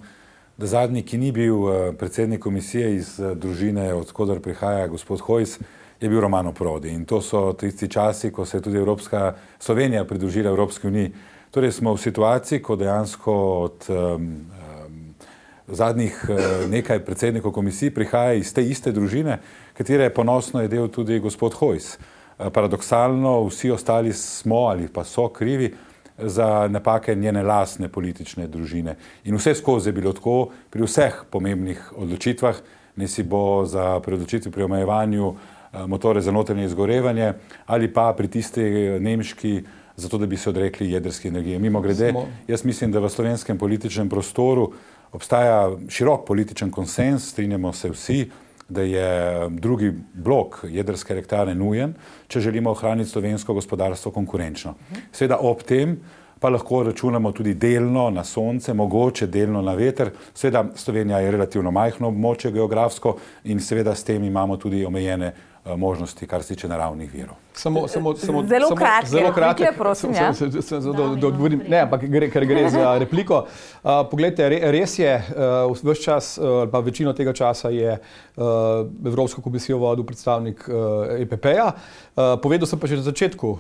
da zadnji, ki ni bil predsednik komisije iz družine, odkudar prihaja gospod Hojs, je bil Romano Prodi. In to so tisti časi, ko se je tudi Slovenija pridružila Evropski uniji. Torej smo v situaciji, ko dejansko od zadnjih nekaj predsednikov komisij prihaja iz te iste družine, katere ponosno je del tudi gospod Hojs. Paradoksalno, vsi ostali smo ali pa so krivi za napake njene lastne politične družine. In vse skozi je bilo tako pri vseh pomembnih odločitvah, ne si bo pri odločitvi pri omejevanju motore za notranje izgorevanje ali pa pri tisti nemški, zato da bi se odrekli jedrski energiji. Mimogrede, jaz mislim, da v slovenskem političnem prostoru obstaja širok političen konsens, strinjamo se vsi, da je drugi blok jedrske elektrarne nujen, če želimo ohraniti slovensko gospodarstvo konkurenčno. Seveda ob tem pa lahko računamo tudi delno na sonce, mogoče delno na veter. Seveda Slovenija je relativno majhno območje geografsko in seveda s tem imamo tudi omejene možnosti, kar se tiče naravnih virov. Zelo kratke, prosim. Da odgovorim. Ne, ampak ker gre za repliko. Poglejte, res je, ves čas, pa večino tega časa je Evropsko komisijo vodil predstavnik EPP-ja. Povedal sem pa že na začetku.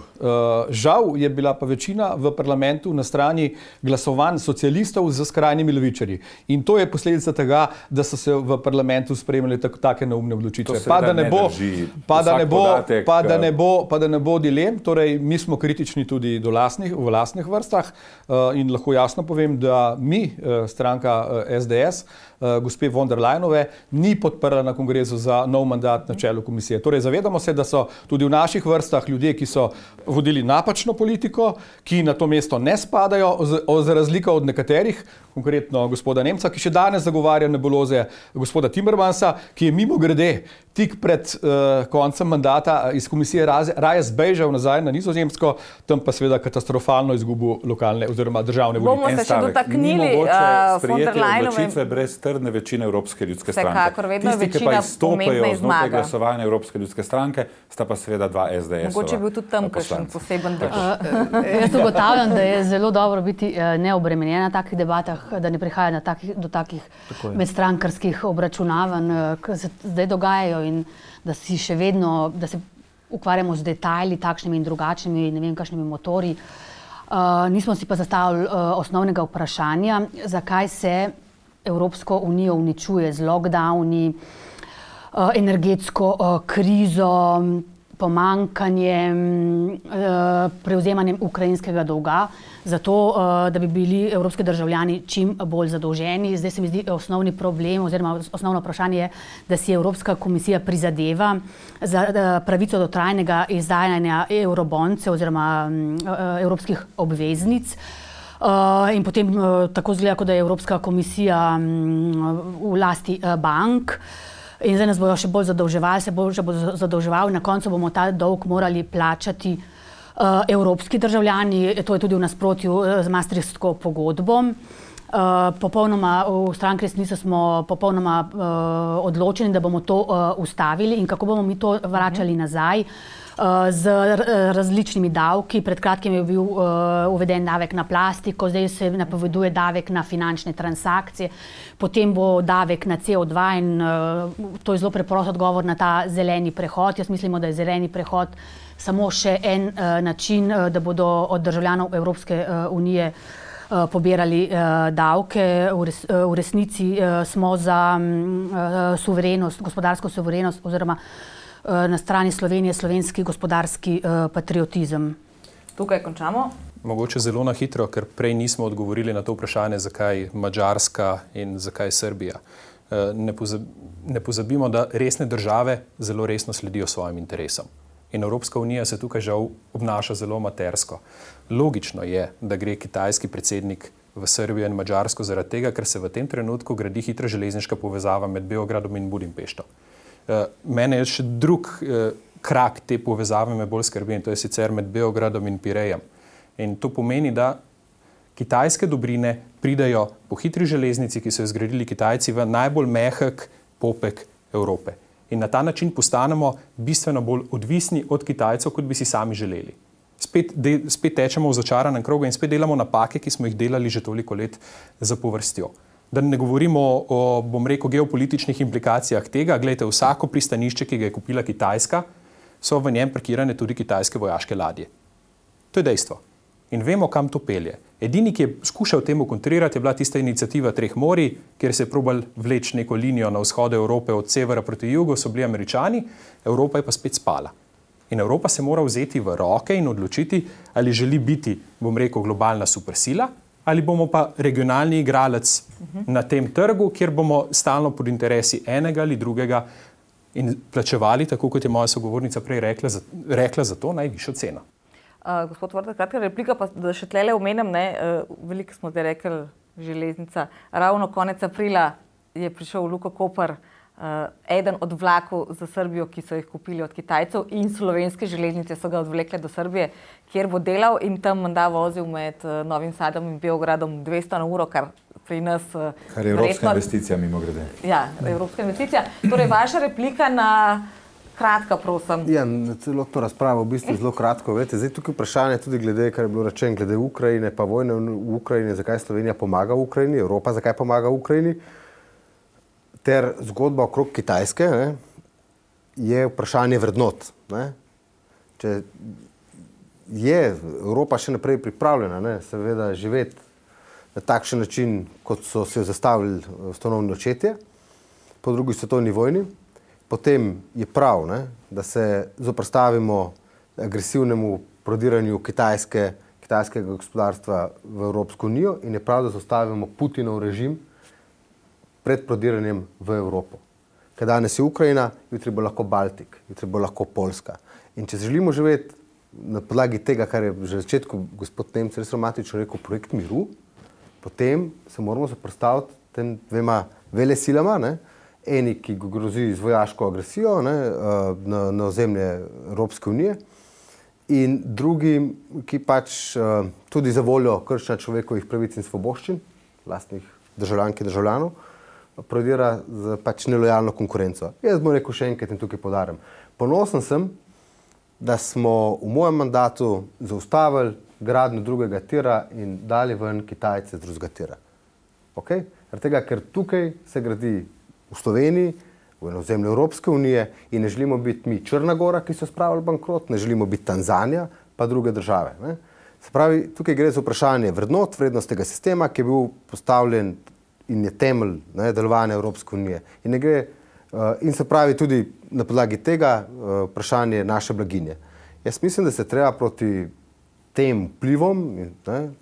Žal je bila pa večina v parlamentu na strani glasovanj socialistov z skrajnimi levičarji. In to je posledica tega, da so se v parlamentu sprejemali take neumne odločitve. Pa da ne bo dilem, torej mi smo kritični tudi v lastnih vrstah in lahko jasno povem, da mi, stranka SDS, gospe von der Leyenove, ni podprla na kongresu za nov mandat na čelu komisije. Torej zavedamo se, da so tudi v naših vrstah ljudje, ki so vodili napačno politiko, ki na to mesto ne spadajo, za razliko od nekaterih, konkretno gospoda Nemca, ki še danes zagovarja nebuloze gospoda Timmermansa, ki je mimogrede tik pred koncem mandata iz komisije raje zbežal nazaj na Nizozemsko, tam pa seveda katastrofalno izgubil lokalne oziroma državne volitve. Bomo se še dotaknili von der Leyenove. Odločitve brez trdne večine Evropske ljudske stranke. Vsekakor, vedno je tisti, ki pa večina izstopajo pomembna znotraj zmaga. glasovanja Evropske ljudske stranke, sta pa seveda dva SDS-ova. Mogoče je bil tudi tam kakšen poseben drž. Jaz ugotavljam, da je zelo dobro biti neobremenjen na takih debatah, da ne prihaja do takih medstrankarskih obračunavanj, ki se zdaj dogajajo in da si še vedno, da se ukvarjamo z detajli takšnimi in drugačnimi, ne vem, kakšnimi motorji. Nismo si pa zastavili osnovnega vprašanja, zakaj se Evropsko unijo uničuje z lockdowni, energetsko krizo, pomanjkanjem, prevzemanjem ukrajinskega dolga, zato da bi bili evropski državljani čim bolj zadolženi. Zdaj se mi zdi osnovni problem oziroma osnovno vprašanje je, da si Evropska komisija prizadeva za pravico do trajnega izdajanja euroboncev oziroma evropskih obveznic. In potem tako zgleda, kot da je Evropska komisija v lasti bank. In zdaj nas bojo še bolj zadolževali, se bo zadolževali, na koncu bomo ta dolg morali plačati evropski državljani, to je tudi v nasprotju z Maastrichtsko pogodbo. Popolnoma v stranki Resnica smo popolnoma odločeni, da bomo to ustavili in kako bomo mi to vračali nazaj z različnimi davki. Pred kratkim je bil uveden davek na plastiko, zdaj se napoveduje davek na finančne transakcije, potem bo davek na CO2 in to je zelo preprost odgovor na ta zeleni prehod. Jaz mislimo, da je zeleni prehod samo še en način, da bodo od državljanov Evropske unije pobirali davke. V resnici smo za suverenost, gospodarsko suverenost oziroma na strani Slovenije slovenski gospodarski patriotizem. Tukaj končamo. Mogoče zelo na hitro, ker prej nismo odgovorili na to vprašanje, zakaj Madžarska in zakaj Srbija. Ne pozabimo, da resne države zelo resno sledijo svojim interesom. In Evropska unija se tukaj žal obnaša zelo amatersko. Logično je, da gre kitajski predsednik v Srbijo in Madžarsko zaradi tega, ker se v tem trenutku gradi hitra železniška povezava med Beogradom in Budimpešto. Mene je še drug krak te povezave me bolj skrbi in to je sicer med Beogradom in Pirejem. In to pomeni, da kitajske dobrine pridajo po hitri železnici, ki so jo zgradili Kitajci, v najbolj mehek popek Evrope. In na ta način postanemo bistveno bolj odvisni od Kitajcev, kot bi si sami želeli. Spet tečemo v začaranem krogu in spet delamo napake, ki smo jih delali že toliko let zapovrstjo. Da ne govorimo o, bom rekel, geopolitičnih implikacijah tega. Glejte, vsako pristanišče, ki ga je kupila Kitajska, so v njem parkirane tudi kitajske vojaške ladje. To je dejstvo. In vemo, kam to pelje. Edini, ki je skušal temu kontrirati, je bila tista iniciativa Treh morij, kjer se je probal vleči neko linijo na vzhodu Evrope od severa proti jugu, so bili Američani, Evropa je pa spet spala. In Evropa se mora vzeti v roke in odločiti, ali želi biti, bom rekel, globalna supersila, ali bomo pa regionalni igralec na tem trgu, kjer bomo stalno pod interesi enega ali drugega in plačevali, tako kot je moja sogovornica prej rekla za to najvišjo ceno. Gospod Vrtek, kratka replika, pa da še tlele omenim, veliko smo zdaj rekli železnica. Ravno konec aprila je prišel v Luko Koper eden od vlakov za Srbijo, ki so jih kupili od Kitajcev in slovenske železnice so ga odvlekle do Srbije, kjer bo delal in tam menda vozil med Novim Sadom in Beogradom 200 na uro, kar pri nas... Kar je evropska investicija, mimo grede. Ja, evropska investicija. Torej, vaša replika na... Kratka, prosim. Ja, celotno razpravo v bistvu zelo kratko. Vete, zdaj tukaj vprašanje tudi glede, kar je bilo rečeno, glede Ukrajine, pa vojne v Ukrajini, zakaj Slovenija pomaga Ukrajini, Evropa zakaj pomaga Ukrajini, ter zgodba okrog Kitajske, je vprašanje vrednot. Če je Evropa še naprej pripravljena, seveda živeti na takšen način, kot so se zastavili ustanovni očetje po drugi svetovni vojni, potem je prav, da se zoperstavimo agresivnemu prodiranju kitajskega gospodarstva v Evropsko unijo in je prav, da zastavimo Putinov režim pred prodiranjem v Evropo. Ker danes je Ukrajina, jutri bo lahko Baltik, jutri bo lahko Poljska. In če želimo živeti na podlagi tega, kar je že v začetku gospod Nemec res romantično rekel, projekt miru, potem se moramo zoperstaviti tem dvema velesilama, eni, ki grozi z vojaško agresijo na ozemlje Evropske unije in drugi, ki pač tudi za voljo kršenja človekovih pravic in svoboščin, lastnih državljank in državljanov, prodira z pač nelojalno konkurenco. Jaz bom rekel še enkrat in tukaj poudarjam. Ponosen sem, da smo v mojem mandatu zaustavili gradnjo drugega tira in dali ven Kitajce z drugega tira. Okay? Zaradi tega, ker tukaj se gradi v Sloveniji, v ozemlju Evropske unije in ne želimo biti mi Črna Gora, ki so spravili bankrot, ne želimo biti Tanzanija, pa druge države. Se pravi, tukaj gre za vprašanje vrednot, vrednostnega sistema, ki je bil postavljen in je temelj delovanja Evropske unije. In se pravi tudi na podlagi tega vprašanje naše blaginje. Jaz mislim, da se treba proti tem vplivom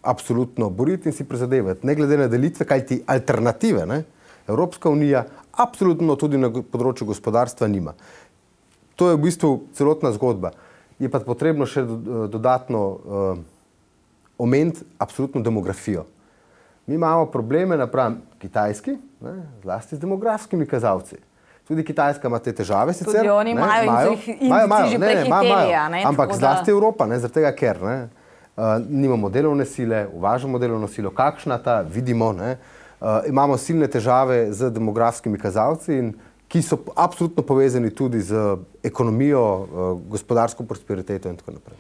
absolutno boriti in si prizadevati, ne glede na delitve, kajti alternative Evropska unija absolutno tudi na področju gospodarstva nima. To je v bistvu celotna zgodba. Je pa potrebno še dodatno omeniti absolutno demografijo. Mi imamo probleme napram Kitajski, zlasti z demografskimi kazalci. Tudi Kitajska ima te težave sicer. Tudi oni imajo že prehiteli. Ampak zlasti Evropa, zaradi tega, ker nimamo delovne sile, uvažamo delovno silo, kakšna ta, vidimo, imamo silne težave z demografskimi kazalci, ki so absolutno povezani tudi z ekonomijo, gospodarsko prosperiteto in tako naprej.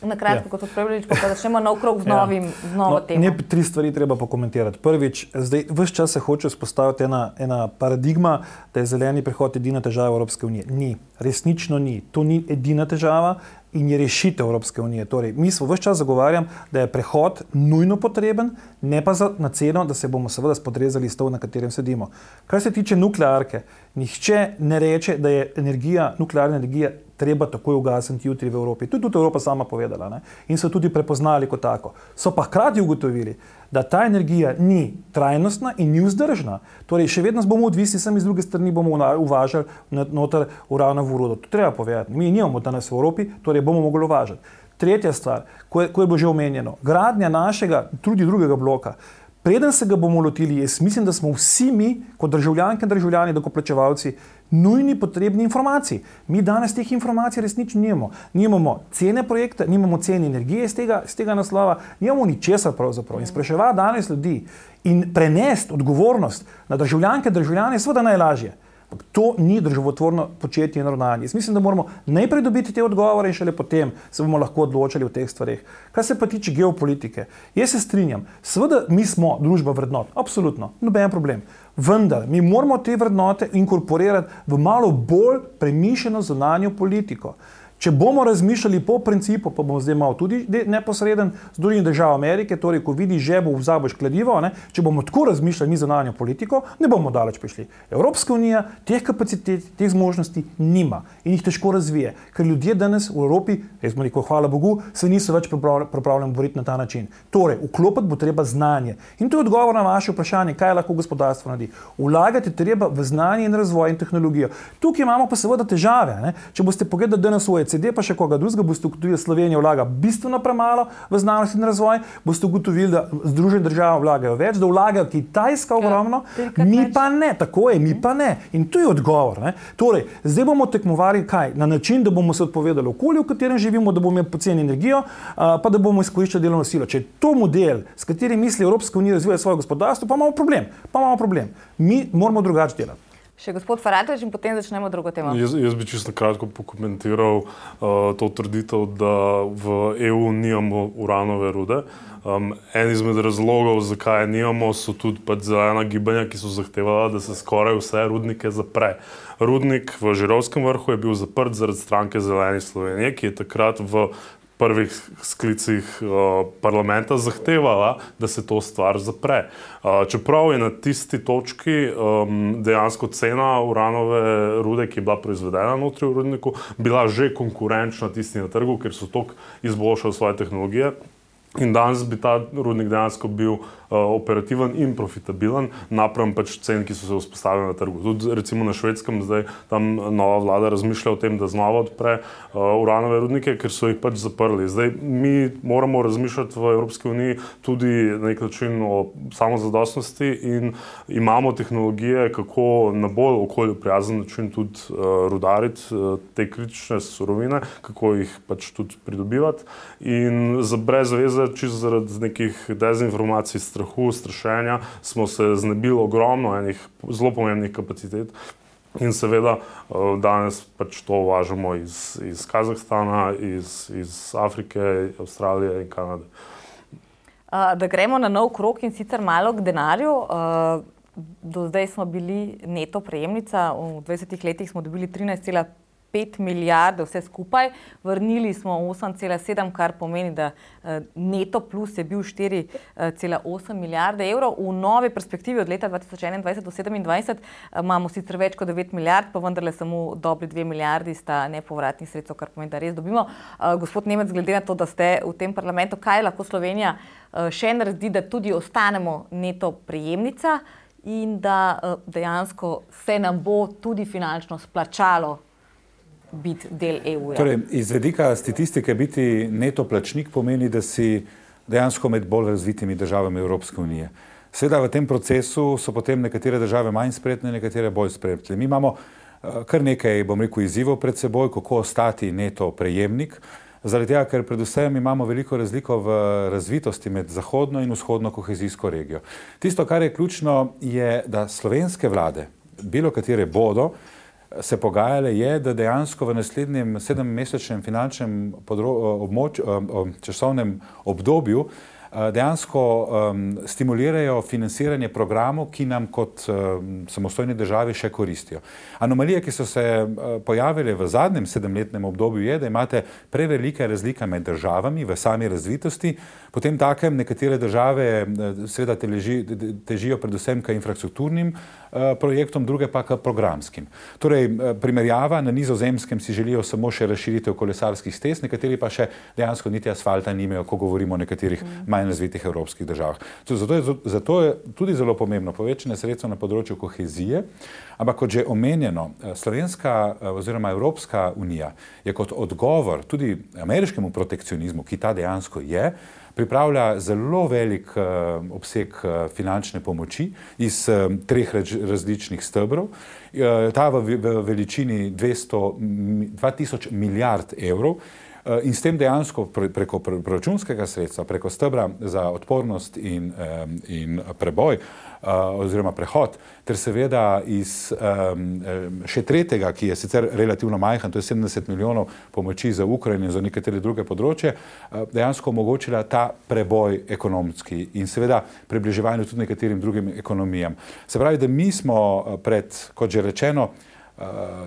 Na kratko, kot odpravljalič, pa začnemo nov krog z novo temo. Tri stvari treba pokomentirati. Prvič, zdaj ves čas se hoče vzpostaviti ena paradigma, da je zeleni prehod edina težava Evropske unije. Ni, resnično ni. To ni edina težava in je rešitev Evropske unije. Torej, mi smo ves čas zagovarjam, da je prehod nujno potreben, ne pa na ceno, da se bomo seveda spodrezali stol, na katerem sedimo. Kar se tiče nuklearke, nihče ne reče, da je nuklearna energija treba takoj ugasniti jutri v Evropi. To je tudi Evropa sama povedala in so tudi prepoznali kot tako. So pa hkrati ugotovili, da ta energija ni trajnostna in ni vzdržna. Torej, še vedno bomo odvisni, sem iz druge strani bomo uvažali noter uranovo rudo. To treba povedati. Mi nimamo danes v Evropi, torej bomo mogli uvažati. Tretja stvar, ko je bilo že omenjeno, gradnja našega, tudi drugega bloka. Preden se ga bomo lotili, jaz mislim, da smo vsi mi, kot državljanke in državljani, dokoplačevalci, nujni potrebni informacij. Mi danes teh informacij resnično nimamo. Nimamo cene projekta, nimamo cene energije z tega naslova, nimamo ničesar pravzaprav. In spraševati danes ljudi in prenesti odgovornost na državljanke in državljane je seveda najlažje. To ni državotvorno početje in ravnanje. Jaz mislim, da moramo najprej dobiti te odgovore in šele potem se bomo lahko odločali o teh stvareh. Kar se pa tiče geopolitike, jaz se strinjam, seveda mi smo družba vrednot, absolutno, noben problem. Vendar mi moramo te vrednote inkorporirati v malo bolj premišljeno zunanjo politiko. Če bomo razmišljali po principu, pa bomo zdaj malo tudi neposreden z drugih držav Amerike, torej ko vidiš žebo, vzaboš kladivo, če bomo tako razmišljali mi zunanjo politiko, ne bomo daleč prišli. Evropska unija teh kapacitet, teh zmožnosti nima in jih težko razvije, ker ljudje danes v Evropi, jaz bom rekel, hvala Bogu, se niso več pripravljeni boriti na ta način. Torej, vklopiti bo treba znanje. In to je odgovor na vaše vprašanje, kaj lahko gospodarstvo naredi. Vlagati treba v znanje in razvoj in tehnologijo. Tukaj imamo pa seveda težave. Če boste pogledali danes v OECD, pa še koga drugega, boste ugotovili, da Slovenija vlaga bistveno premalo v znanost in razvoj, boste ugotovili, da Združene države vlagajo več, da vlagajo Kitajska ogromno, mi pa ne, tako je, mi pa ne. In to je odgovor. Torej, zdaj bomo tekmovali kaj? Na način, da bomo se odpovedali okolju, v katerem živimo, da bomo imeli poceni energijo, pa da bomo izkoriščali delovno silo. Če je to model, s katerim misli Evropska unija razvija svoje gospodarstvo, pa imamo problem. Mi moramo drugače delati. Še gospod Faratović in potem začnemo drugo temo. Jaz bi čisto kratko pokomentiral to trditev, da v EU nimamo uranove rude. En izmed razlogov, zakaj nimamo, so tudi zelena gibanja, ki so zahtevala, da se skoraj vse rudnike zapre. Rudnik v Žirovskem vrhu je bil zaprt zaradi stranke Zeleni Slovenije, ki je takrat v prvih sklicih parlamenta zahtevala, da se to stvar zapre. Čeprav je na tisti točki dejansko cena uranove rude, ki je bila proizvedena notri v rudniku, bila že konkurenčna tisti na trgu, ker so toliko izboljšali svoje tehnologije. In danes bi ta rudnik dejansko bil operativen in profitabilen napram cen, ki so se vzpostavili na trgu. Tudi recimo na Švedskem zdaj tam nova vlada razmišlja o tem, da znova odpre uranove rudnike, ker so jih zaprli. Zdaj mi moramo razmišljati v Evropski uniji tudi na nek način o samozadostnosti in imamo tehnologije, kako na bolj okolju prijazen način tudi rudariti te kritične surovine, kako jih tudi pridobivati. In brez veze, čisto zaradi nekih dezinformacij, strahu, strašenja, smo se znebili ogromno enih zelo pomembnih kapacitet in seveda danes to uvažamo iz Kazahstana, iz Afrike, Avstralije in Kanade. Da gremo na nov krog in sicer malo k denarju. Do zdaj smo bili neto prejemnica, v 20 letih smo dobili 13,5 5 milijarde vse skupaj, vrnili smo 8,7, kar pomeni, da neto plus je bil 4,8 milijarde evrov. V novi perspektivi od leta 2021 do 2027 imamo sicer več kot 9 milijard, pa vendarle samo dobri 2 milijardi sta nepovratnih sredstev, kar pomeni, da res dobimo. Gospod Nemec, glede na to, da ste v tem parlamentu, kaj lahko Slovenija še naredi, da tudi ostanemo neto prejemnica in da dejansko se nam bo tudi finančno splačalo biti del EU-ja. Torej, iz vedika statistike biti neto plačnik pomeni, da si dejansko med bolj razvitimi državami Evropske unije. Seveda v tem procesu so potem nekatere države manj spretne, nekatere bolj spretne. Mi imamo kar nekaj, bom rekel, izzivov pred seboj, kako ostati neto prejemnik. Zaradi tega, ker predvsem imamo veliko razliko v razvitosti med zahodno in vzhodno kohezijsko regijo. Tisto, kar je ključno, je, da slovenske vlade, bilo katere bodo, se pogajale, je, da dejansko v naslednjem 7-mesečnem finančnem časovnem obdobju dejansko stimulirajo financiranje programov, ki nam kot samostojni državi še koristijo. Anomalije, ki so se pojavile v zadnjem 7-letnem obdobju, je, da imate prevelike razlike med državami v sami razvitosti, potem takem nekatere države seveda težijo predvsem k infrastrukturnim projektom, druge pa k programskim. Torej, primerjava, na Nizozemskem si želijo samo še razširitev kolesarskih stez, nekateri pa še dejansko niti asfalta nimajo, ko govorimo o nekaterih manj razvitih evropskih državah. Zato je tudi zelo pomembno povečanje sredstev na področju kohezije, ampak kot že omenjeno, Slovenska oziroma Evropska unija je kot odgovor tudi ameriškemu protekcionizmu, ki ta dejansko je, pripravlja zelo velik obseg finančne pomoči iz 3 različnih stebrov. Ta v veličini 2000 milijard evrov in s tem dejansko preko proračunskega sredstva, preko stebra za odpornost in preboj oziroma prehod, ter seveda iz še tretjega, ki je sicer relativno majhen, to je 70 milijonov pomoči za Ukrajino in za nekatere druge področje, dejansko omogočila ta preboj ekonomski in seveda približevanje tudi nekaterim drugim ekonomijam. Se pravi, da mi smo pred, kot že rečeno,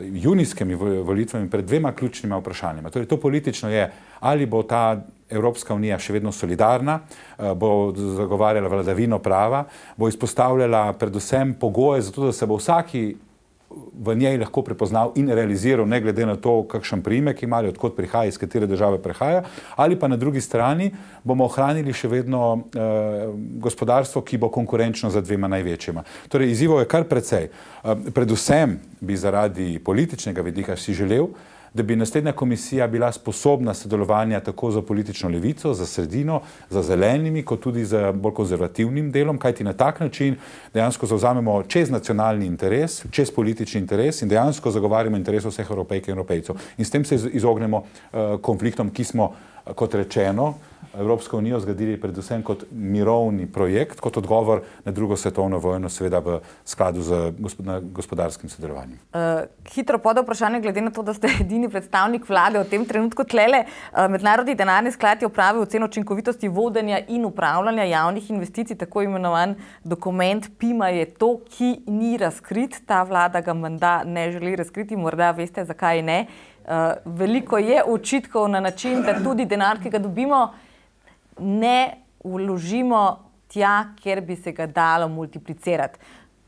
junijskimi volitvami pred 2 ključnima vprašanjima. Torej, to politično je, ali bo ta Evropska unija še vedno solidarna, bo zagovarjala vladavino prava, bo izpostavljala predvsem pogoje za to, da se bo vsaki v njej lahko prepoznal in realiziral, ne glede na to, kakšen priimek ima ali odkot prihaja, iz katere države prihaja, ali pa na drugi strani bomo ohranili še vedno gospodarstvo, ki bo konkurenčno za 2 največjima. Torej, izzivov je kar precej. Predvsem bi zaradi političnega vidika si želel, da bi naslednja komisija bila sposobna sodelovanja tako za politično levico, za sredino, za zelenimi, kot tudi za bolj konzervativnim delom, kajti na tak način dejansko zavzamemo čez nacionalni interes, čez politični interes in dejansko zagovarjamo interes vseh Evropejk in Evropejcev. In s tem se izognemo konfliktom, ki smo, kot rečeno, Evropsko unijo zgradili predvsem kot mirovni projekt, kot odgovor na drugo svetovno vojno, seveda v skladu z gospodarskim sodelovanjem. Hitro pod vprašanje, glede na to, da ste edini predstavnik vlade v tem trenutku tlele. Mednarodni denarni sklad je opravil oceno učinkovitosti vodenja in upravljanja javnih investicij, tako imenovan dokument PIMA je to, ki ni razkrit. Ta vlada ga menda ne želi razkriti, morda veste, zakaj ne. Veliko je očitkov na način, da tudi denar, ki ga dobimo, ne vložimo tja, kjer bi se ga dalo multiplicirati.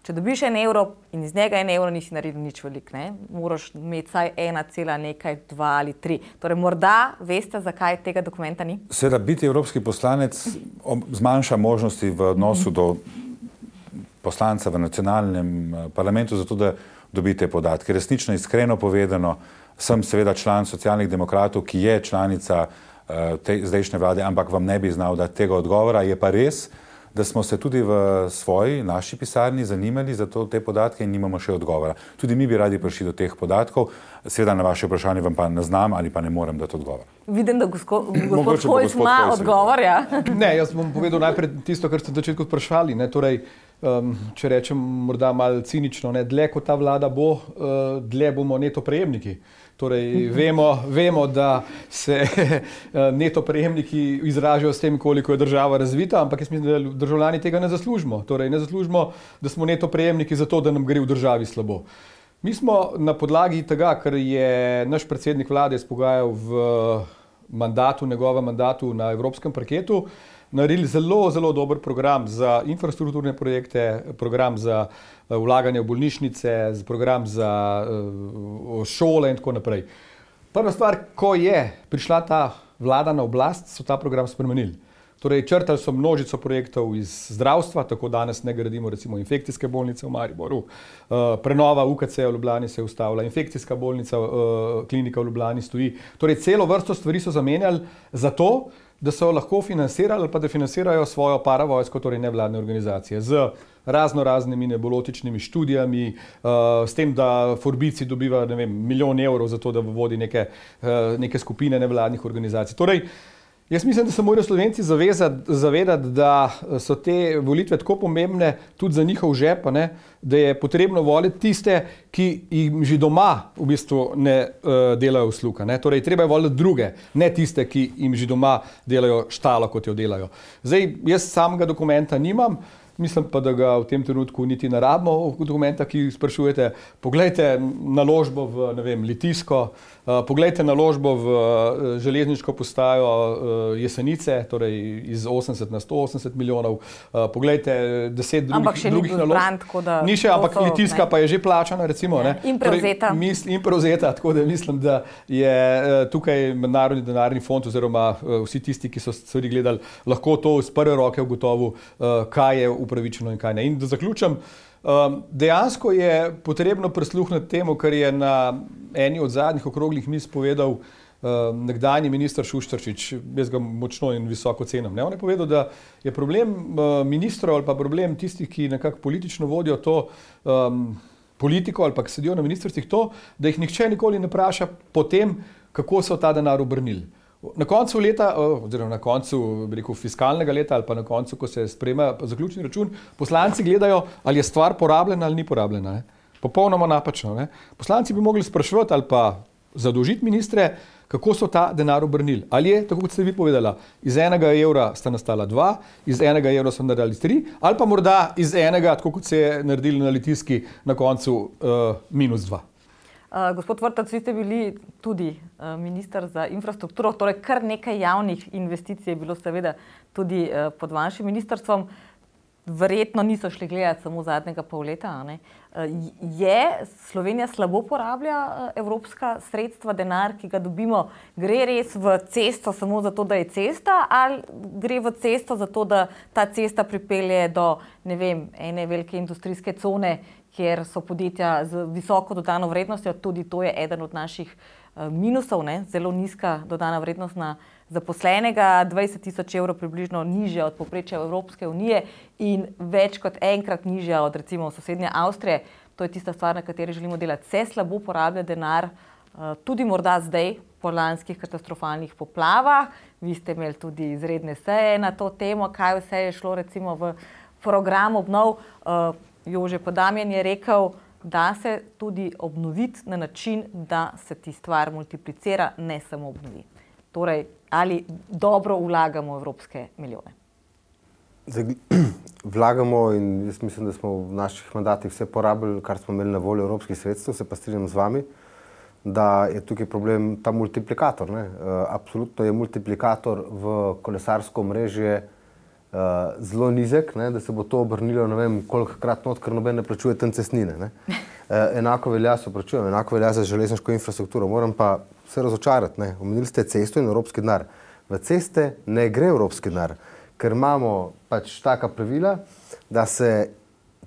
Če dobiš 1 evro in iz njega 1 evro, nisi naredil nič veliko, ne? Moraš imeti vsaj 1,2 ali 3. Torej, morda veste, zakaj tega dokumenta ni? Seveda, biti evropski poslanec zmanjša možnosti v odnosu do poslanca v nacionalnem parlamentu, zato da dobite podatke. Resnično, iskreno povedano, sem seveda član Socialnih demokratov, ki je članica zdajšnje vlade, ampak vam ne bi znal dati tega odgovora. Je pa res, da smo se tudi v naši pisarni zanimali za te podatke in nimamo še odgovora. Tudi mi bi radi prišli do teh podatkov. Seveda na vaše vprašanje vam pa ne znam ali pa ne morem dati odgovora. Vidim, da gospod Hojs ima odgovor, ja? Ne, jaz bom povedal najprej tisto, kar ste na začetku vprašali. Torej, če rečem morda malo cinično, dlje kot ta vlada bo, dlje bomo neto prejemniki. Torej, vemo, da se neto prejemniki izražajo s tem, koliko je država razvita, ampak jaz mislim, da državljani tega ne zaslužimo. Torej, ne zaslužimo, da smo neto prejemniki zato, da nam gre v državi slabo. Mi smo na podlagi tega, ker je naš predsednik vlade izpogajal v njegovem mandatu na evropskem parketu, naredili zelo, zelo dober program za infrastrukturne projekte, program za vlaganje v bolnišnice, program za šole in tako naprej. Prva stvar, ko je prišla ta vlada na oblast, so ta program spremenili. Torej, črtali so množico projektov iz zdravstva, tako danes ne gradimo recimo infekcijske bolnice v Mariboru, prenova UKC v Ljubljani se je ustavila, infekcijska bolnica, klinika v Ljubljani stoji. Torej, celo vrsto stvari so zamenjali zato, da so lahko financirali ali pa da financirajo svojo paravojsko, torej nevladne organizacije, z raznimi nebulotičnimi študijami, s tem, da Forbici dobiva, ne vem, 1 milijon evrov za to, da vodi neke skupine nevladnih organizacij. Torej, jaz mislim, da se morajo Slovenci zavedati, da so te volitve tako pomembne tudi za njihov žep, da je potrebno voliti tiste, ki jim že doma v bistvu ne delajo usluga. Torej, treba je voliti druge, ne tiste, ki jim že doma delajo štalo, kot jo delajo. Zdaj, jaz samega dokumenta nimam, mislim pa, da ga v tem trenutku niti ne rabimo dokumenta, ki sprašujete. Poglejte naložbo v, ne vem, Litijsko, poglejte naložbo v železniško postajo Jesenice, torej iz 80 na 180 milijonov, poglejte 10 drugih naložb. Ni še, ampak Litijska pa je že plačana, recimo. In prevzeta. In prevzeta, tako da mislim, da je tukaj Mednarodni denarni fond oziroma vsi tisti, ki so stvari gledali, lahko to iz prve roke ugotovil, kaj je upravičeno in kaj ne. In da zaključim, dejansko je potrebno prisluhniti temu, kar je na eni od zadnjih okroglih miz povedal nekdanji minister Šuštaršič, jaz ga močno in visoko cenim. On je povedal, da je problem ministrov ali pa problem tistih, ki nekako politično vodijo to politiko ali pa ki sedijo na ministrstvih, to, da jih nihče nikoli ne vpraša po tem, kako so ta denar obrnili. Na koncu leta, oziroma na koncu, bi rekel, fiskalnega leta ali pa na koncu, ko se sprejema zaključni račun, poslanci gledajo, ali je stvar porabljena ali ni porabljena. Popolnoma napačno. Poslanci bi mogli spraševati ali pa zadolžiti ministre, kako so ta denar obrnili. Ali je, tako kot ste vi povedala, iz 1 evra sta nastala 2, iz 1 evra so naredili 3, ali pa morda iz 1, tako kot se je naredili na Litijski, na koncu -2. Gospod Vrtac, vi ste bili tudi minister za infrastrukturo, torej kar nekaj javnih investicij je bilo seveda tudi pod vašim ministrstvom. Verjetno niso šli gledati samo zadnjega pol leta. Je Slovenija slabo porablja evropska sredstva, denar, ki ga dobimo, gre res v cesto samo zato, da je cesta, ali gre v cesto zato, da ta cesta pripelje do, ne vem, ene velike industrijske cone, kjer so podjetja z visoko dodano vrednostjo, tudi to je eden od naših minusov, zelo nizka dodana vrednost na zaposlenega, 20.000 evrov približno nižja od povprečja Evropske unije in več kot enkrat nižja od recimo sosednje Avstrije. To je tista stvar, na kateri želimo delati. Se slabo porablja denar, tudi morda zdaj po lanskih katastrofalnih poplavah. Vi ste imeli tudi izredne seje na to temo, kaj vse je šlo recimo v program obnov. Jože Podamjan je rekel, da se tudi obnoviti na način, da se ti stvar multiplicira, ne samo obnovi. Torej, ali dobro vlagamo evropske milijone? Vlagamo in jaz mislim, da smo v naših mandatih vse porabili, kar smo imeli na voljo evropskih sredstev, se pa strinjam z vami, da je tukaj problem ta multiplikator. Absolutno je multiplikator v kolesarsko omrežje zelo nizek, da se bo to obrnilo, ne vem kolikokrat not, ker noben ne plačuje tam cestnine. Enako velja za železniško infrastrukturo. Moram pa se razočarati. Omenili ste cesto in evropski denar. V ceste ne gre evropski denar, ker imamo pač taka pravila, da se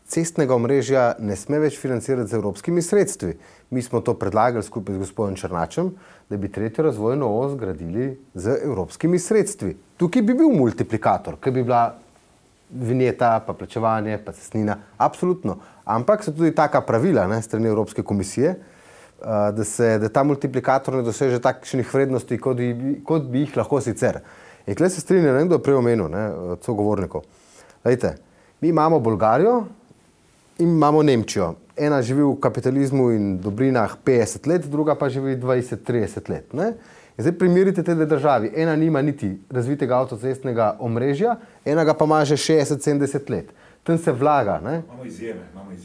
cestnega omrežja ne sme več financirati z evropskimi sredstvi. Mi smo to predlagali skupaj z gospodom Černačem, da bi tretjo razvojno os gradili z evropskimi sredstvi. Tukaj bi bil multiplikator, ker bi bila vinjeta, pa plačevanje, pa cestnina, absolutno. Ampak so tudi taka pravila strani Evropske komisije, da ta multiplikator ne doseže takšnih vrednosti, kot bi jih lahko sicer. In tukaj se strinjam, nekdo je prej omenil, sogovornikov. Lejte, mi imamo Bolgarijo in imamo Nemčijo. Ena živi v kapitalizmu in dobrinah 50 let, druga pa živi 20-30 let. In zdaj primerite te dve državi. Ena nima niti razvitega avtocestnega omrežja, enega pa ima že 60-70 let. Tam se vlaga. Imamo izjeme.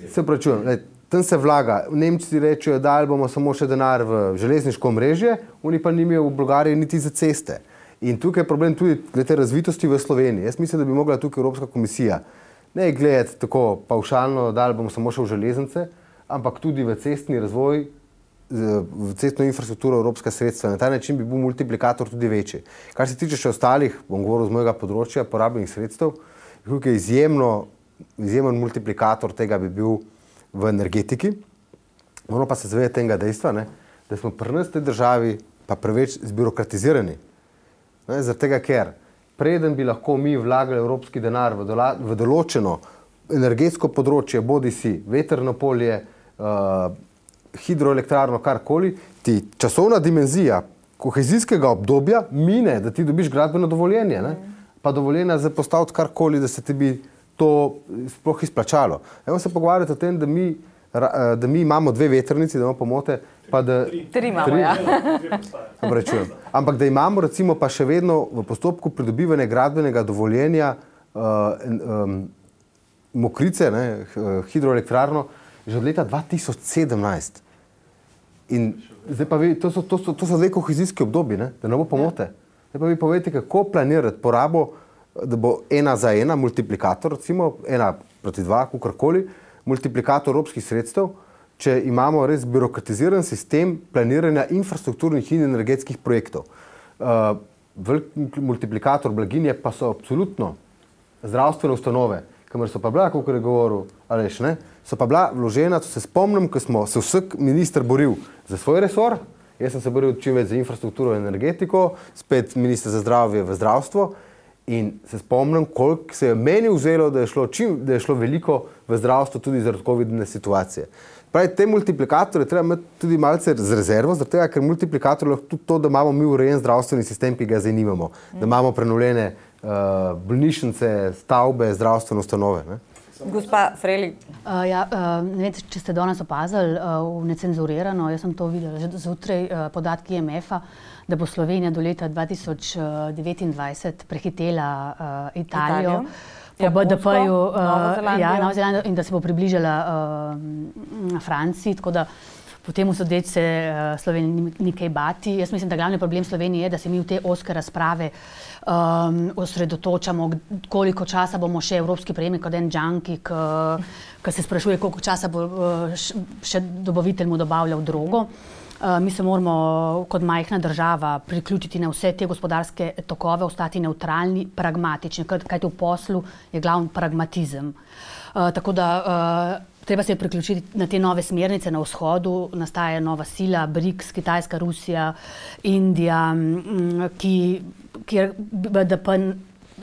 Se pravičujem, tam se vlaga. Nemci rečejo, da bomo samo še denar v železniško omrežje, oni pa nimajo v Bolgariji niti za ceste. In tukaj je problem tudi glede razvitosti v Sloveniji. Jaz mislim, da bi mogla tukaj Evropska komisija ne gledati tako pavšalno, da bomo samo še v železnice, ampak tudi v cestni razvoj, v cestno infrastrukturo evropska sredstva. Na ta način bi bil multiplikator tudi večji. Kar se tiče še ostalih, bom govoril z mojega področja, porabljenih sredstev, tukaj izjemen multiplikator tega bi bil v energetiki. Moramo pa se zavedati tega dejstva, ne, da smo pri nas v tej državi pa preveč zbirokratizirani. Zaradi tega, ker preden bi lahko mi vlagali evropski denar v določeno energetsko področje, bodi si vetrno polje, hidroelektrarno, karkoli, ti časovna dimenzija kohezijskega obdobja mine, da ti dobiš gradbeno dovoljenje, ne? Pa dovoljenje za postaviti karkoli, da se ti bi to sploh izplačalo. Evo se pogovarjati o tem, da mi imamo 2 vetrnici, da imamo pomote, pa da... 3 imamo, ja. Ampak da imamo recimo pa še vedno v postopku pridobivanja gradbenega dovoljenja Mokrice, ne, hidroelektrarno, že od leta 2017. In zdaj pa vi, to so 2 kohezijski obdobji, ne, da ne bo pomote. Zdaj pa vi povejte, kako planirati porabo, da bo 1 za 1 multiplikator, recimo 1:2, kakorkoli, multiplikator evropskih sredstev, če imamo res birokratiziran sistem planiranja infrastrukturnih in energetskih projektov. Velik multiplikator blaginje pa so absolutno zdravstvene ustanove, kamor so pa bila, kako je govoril Aleš, ne, so pa bila vložena, to se spomnim, ko smo se vsak minister boril za svoj resor, jaz sem se boril čim več za infrastrukturo in energetiko, spet minister za zdravje v zdravstvo in se spomnim, koliko se je meni vzelo, da je šlo veliko v zdravstvo tudi zaradi covidne situacije. Pravi, te multiplikatorje treba imeti tudi malce z rezervo, zaradi tega, ker multiplikator lahko tudi to, da imamo mi urejen zdravstveni sistem, ki ga zdaj nimamo, da imamo prenovljene bolnišnice, stavbe, zdravstvene ustanove. Ne? Gospa Freli. Ne vem, če ste danes opazili v Necenzurirano, jaz sem to videla že zjutraj, podatki IMF-a, da bo Slovenija do leta 2029 prehitela Italijo. Po BDP-ju, Novo Zelandijo, in da se bo približala Franciji, tako da po temu sodeč se Slovenija ni kaj bati. Jaz mislim, da glavni problem Slovenije je, da se mi v te ozke razprave osredotočamo, koliko časa bomo še evropski prejemnik, kot en junkie, ki se sprašuje, koliko časa bo še dobavitelj mu dobavljal drogo. Mi se moramo kot majhna država priključiti na vse te gospodarske tokove, ostati neutralni, pragmatični, kajti v poslu je glavni pragmatizem. Tako da treba se priključiti na te nove smernice na vzhodu, nastaja nova sila, BRICS, Kitajska, Rusija, Indija, kjer BDP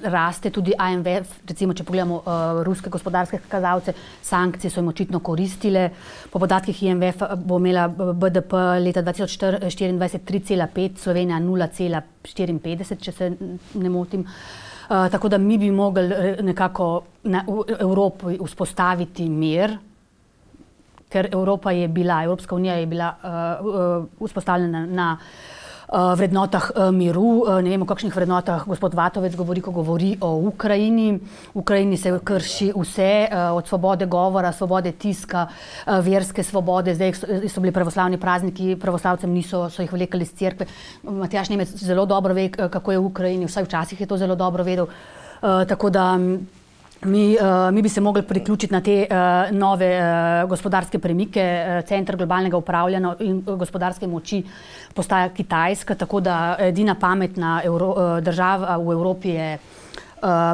raste, tudi IMF, recimo, če pogledamo ruske gospodarske kazalce, sankcije so jim očitno koristile. Po podatkih IMF bo imela BDP leta 2024 3,5, Slovenija 0,54, če se ne motim. Tako da mi bi mogli nekako v Evropi vzpostaviti mir, ker Evropska unija je bila vzpostavljena na vrednotah miru, ne vem, o kakšnih vrednotah gospod Vatovec govori, ko govori o Ukrajini. V Ukrajini se krši vse, od svobode govora, svobode tiska, verske svobode. Zdaj so bili pravoslavni prazniki, pravoslavcem so jih vlekali iz cerkve. Matjaž Nemec zelo dobro ve, kako je v Ukrajini, vsaj včasih je to zelo dobro vedel. Tako da mi bi se mogli priključiti na te nove gospodarske premike. Center globalnega upravljanja in gospodarske moči postaja Kitajska, tako da edina pametna država v Evropi je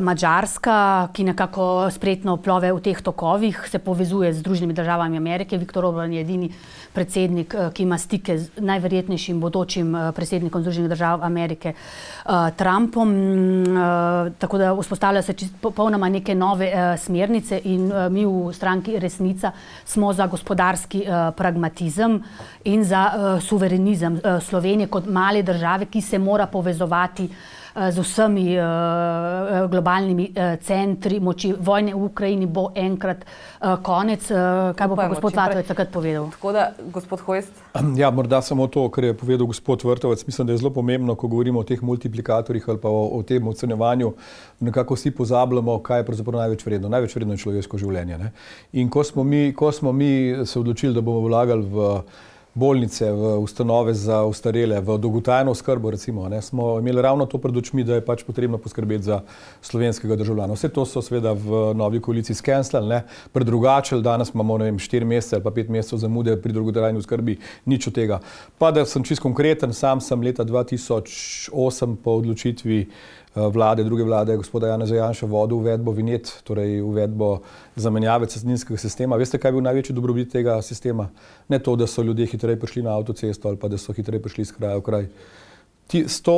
Madžarska, ki nekako spretno plove v teh tokovih, se povezuje z Združenimi državami Amerike. Viktor Orban je edini predsednik, ki ima stike z najverjetnejšim bodočim predsednikom Združenih držav Amerike, Trumpom. Tako da vzpostavljajo se popolnoma neke nove smernice in mi v stranki Resnica smo za gospodarski pragmatizem in za suverenizem Slovenije kot male države, ki se mora povezovati z vsemi globalnimi centri moči vojne v Ukrajini bo enkrat konec. Kaj bo pa gospod Vatovec takrat povedal? Tako da, gospod Hojs. Ja, morda samo to, kar je povedal gospod Vrtovec. Mislim, da je zelo pomembno, ko govorimo o teh multiplikatorjih ali pa o tem ocenjevanju, nekako vsi pozabljamo, kaj je pravzaprav največ vredno. Največ vredno je človeško življenje. Ne? In ko smo mi se odločili, da bomo vlagali v bolnice, v ustanove za ostarele, v dolgotrajno oskrbo, recimo, ne, smo imeli ravno to pred očmi, da je pač potrebno poskrbeti za slovenskega državljana. Vse to so seveda v novi koaliciji skenslali, predrugačili, danes imamo 4 mesece ali pa 5 mesecev zamude pri dolgotrajni oskrbi, nič od tega. Pa da sem čisto konkreten, sam sem leta 2008 po odločitvi druge vlade gospoda Janeza Janše vodil uvedbo vinjet, torej uvedbo zamenjave cestninskega sistema. Veste, kaj je bil največji dobrobit tega sistema? Ne to, da so ljudje hitreje prišli na avtocesto ali pa da so hitreje prišli iz kraja v kraj. 100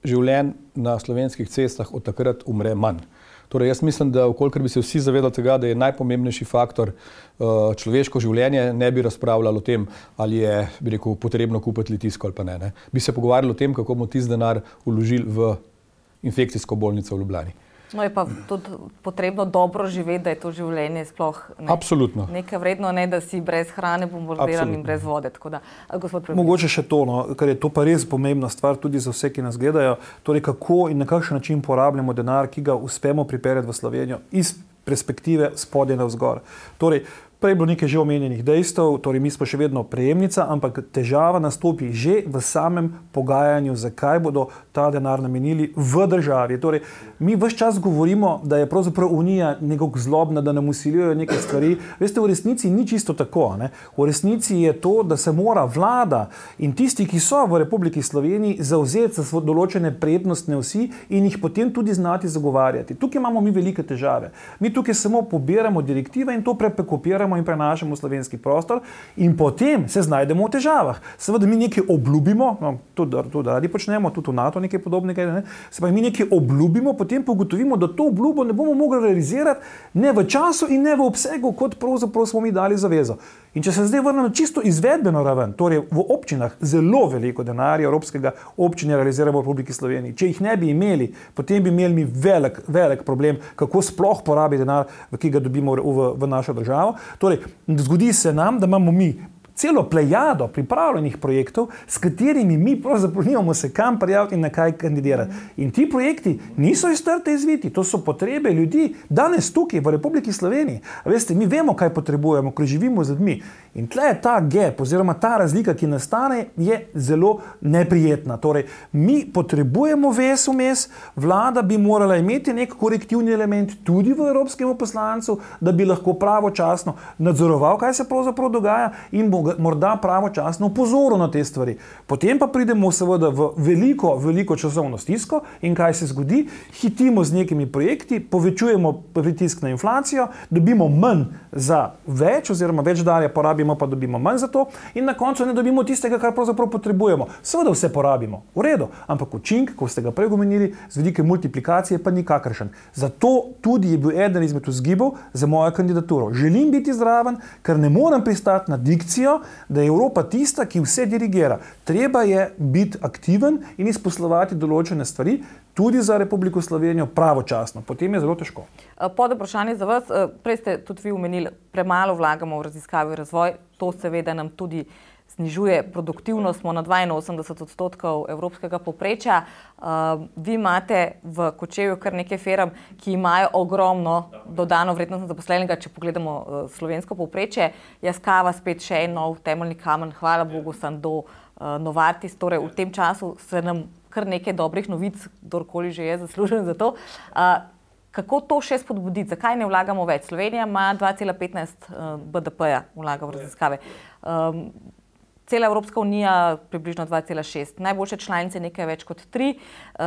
življenj na slovenskih cestah od takrat umre manj. Torej, jaz mislim, da vkolikor bi se vsi zavedali tega, da je najpomembnejši faktor človeško življenje, ne bi razpravljali o tem, ali je, bi rekel, potrebno kupiti Litijsko ali pa ne. Bi se pogovarjali o tem, kako bomo tisti denar vložili v infekcijsko bolnico v Ljubljani. No, je pa tudi potrebno dobro živeti, da je to življenje sploh nekaj vredno, ne da si brez hrane bombardiran in brez vode. Da, mogoče še to, ker je to pa res pomembna stvar tudi za vse, ki nas gledajo, torej kako in na kakšen način porabljamo denar, ki ga uspemo pripeljati v Slovenijo iz perspektive spodaj navzgor. Torej, prej je bilo nekaj že omenjenih dejstev, torej mi smo še vedno prejemnica, ampak težava nastopi že v samem pogajanju, zakaj bodo ta denar namenili v državi. Torej, mi ves čas govorimo, da je pravzaprav Unija nekako zlobna, da nam usiljujejo neke stvari. Veste, v resnici ni čisto tako. Ne? V resnici je to, da se mora vlada in tisti, ki so v Republiki Sloveniji, zavzeti za določene prednostne osi in jih potem tudi znati zagovarjati. Tukaj imamo mi velike težave. Mi tukaj samo pobiramo direktive in to prepekopiramo in prenašamo v slovenski prostor in potem se znajdemo v težavah. Seveda mi nekaj obljubimo, tudi radi počnemo, tudi v NATO nekaj podobnega, ne? Se pa mi nekaj obljubimo, potem pogotovimo, da to obljubo ne bomo mogli realizirati ne v času in ne v obsegu, kot pravzaprav smo mi dali zavezo. In če se zdaj vrnemo čisto izvedbeno raven, torej v občinah zelo veliko denarja evropskega občine realiziramo v Republiki Sloveniji. Če jih ne bi imeli, potem bi imeli mi velik problem, kako sploh porabiti denar, ki ga dobimo v našo državo. Torej, zgodi se nam, da imamo mi celo plejado pripravljenih projektov, s katerimi mi pravzaprav nimamo se kam prijaviti in na kaj kandidirati. In ti projekti niso iz trte izviti, to so potrebe ljudi danes tukaj v Republiki Sloveniji. Veste, mi vemo, kaj potrebujemo, ko živimo z ljudmi. In tle je ta gap, oziroma ta razlika, ki nastane, je zelo neprijetna. Torej, mi potrebujemo vmes, vlada bi morala imeti nek korektivni element tudi v evropskemu poslancu, da bi lahko pravočasno nadzoroval, kaj se pravzaprav dogaja in morda pravočasno opozoril na te stvari. Potem pa pridemo seveda v veliko časovno stisko in kaj se zgodi? Hitimo z nekimi projekti, povečujemo pritisk na inflacijo, dobimo manj za več, oziroma več denarja porabimo, pa dobimo manj za to in na koncu ne dobimo tistega, kar pravzaprav potrebujemo. Seveda vse porabimo, v redu, ampak učink, ko ste ga prej omenili, z vidika multiplikacije pa nikakršen. Zato tudi je bil eden izmed vzgibov za mojo kandidaturo. Želim biti zraven, ker ne morem pristati na dikcijo, da je Evropa tista, ki vse dirigira. Treba je biti aktiven in izposlovati določene stvari tudi za Republiko Slovenijo pravočasno. Potem je zelo težko. Pod vprašanje za vas, prej ste tudi vi omenili, premalo vlagamo v raziskave in razvoj, to seveda nam tudi znižuje produktivnost, smo na 82% evropskega povprečja. Vi imate v Kočevju kar nekaj firm, ki imajo ogromno dodano vrednost zaposlenega, če pogledamo slovensko povprečje. Jaskava spet še en nov temeljni kamen, hvala Bogu, Sando, Novartis, torej v tem času se nam kar nekaj dobrih novic, kdorkoli že je zaslužen za to. Kako to še spodbuditi? Zakaj ne vlagamo več? Slovenija ima 2,15 BDP-ja vlaga v raziskave. Cela Evropska unija približno 2,6. Najboljše članice nekaj več kot 3,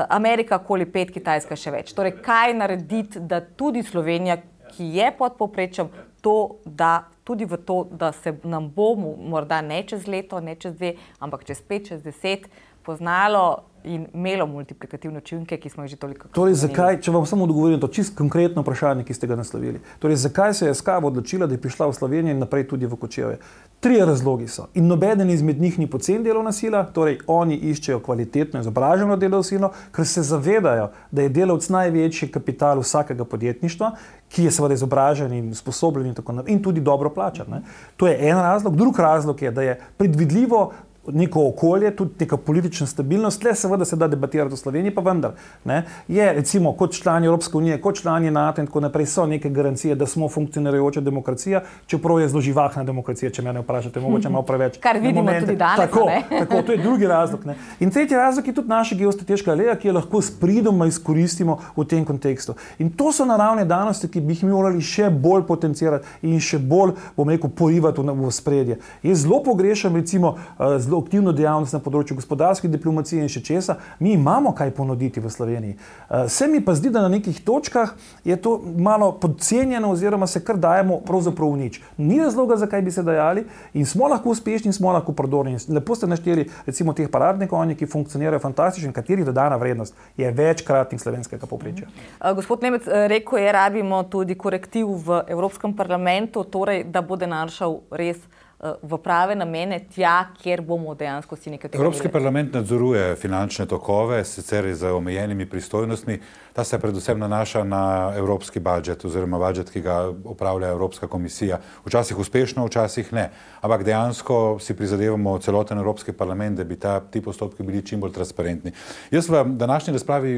Amerika okoli 5, Kitajska še več. Torej, kaj narediti, da tudi Slovenija, ki je pod povprečjem, to da tudi v to, da se nam bo morda ne čez leto, ne čez 2, ampak čez 5, čez 10 poznalo in imelo multiplikativne učinke, ki smo jih že toliko. Torej, zakaj, če vam samo odgovorim to čisto konkretno vprašanje, ki ste ga naslovili. Torej, zakaj se je SKAB odločila, da je prišla v Slovenijo in naprej tudi v Kočevje? 3 razlogi so. In nobeden izmed njih ni poceni delovna sila, torej oni iščejo kvalitetno izobraženo delovno silo, ker se zavedajo, da je delavec največji kapital vsakega podjetništva, ki je seveda izobražen in sposobljen in tako naprej in tudi dobro plačan. Ne? To je en razlog. Drug razlog je, da je predvidljivo neko okolje, tudi neka politična stabilnost, le seveda se da debatirati v Sloveniji, pa vendar. Ne? Je recimo kot člani Evropske unije, kot člani NATO in tako naprej so neke garancije, da smo funkcionirajoča demokracija, čeprav je zelo živahna demokracija, če me ne vprašate, mogoče malo preveč. Kar vidimo tudi danes. Tako, to je drugi razlog. Ne? In tretji razlog je tudi naša geostrateška aleja, ki jo lahko s pridom izkoristimo v tem kontekstu. In to so naravne danosti, ki bi jih morali še bolj potencirati in še bolj, bom rekel, porivati v spredje. Jaz zelo pogrešam recimo zelo aktivno dejavnost na področju gospodarske diplomacije in še česa. Mi imamo kaj ponuditi v Sloveniji. Se mi pa zdi, da na nekih točkah je to malo podcenjeno oziroma se kar dajemo pravzaprav v nič. Ni razloga, zakaj bi se dajali in smo lahko uspešni in smo lahko prodorni. Lepo ste našteli recimo teh paradnih konjev, ki funkcionirajo fantastično in katerih dodana vrednost je večkratnik slovenskega povprečja. Gospod Nemec, rekel je, rabimo tudi korektiv v Evropskem parlamentu, torej da bo denar šel res v prave namene tja, kjer bomo dejansko si nekaj tega. Evropski parlament nadzoruje finančne tokove, sicer z omejenimi pristojnostmi. Ta se predvsem nanaša na evropski budžet oziroma budžet, ki ga upravlja Evropska komisija. Včasih uspešno, včasih ne. Ampak dejansko si prizadevamo celoten Evropski parlament, da bi ti postopki bili čim bolj transparentni. Jaz v današnji razpravi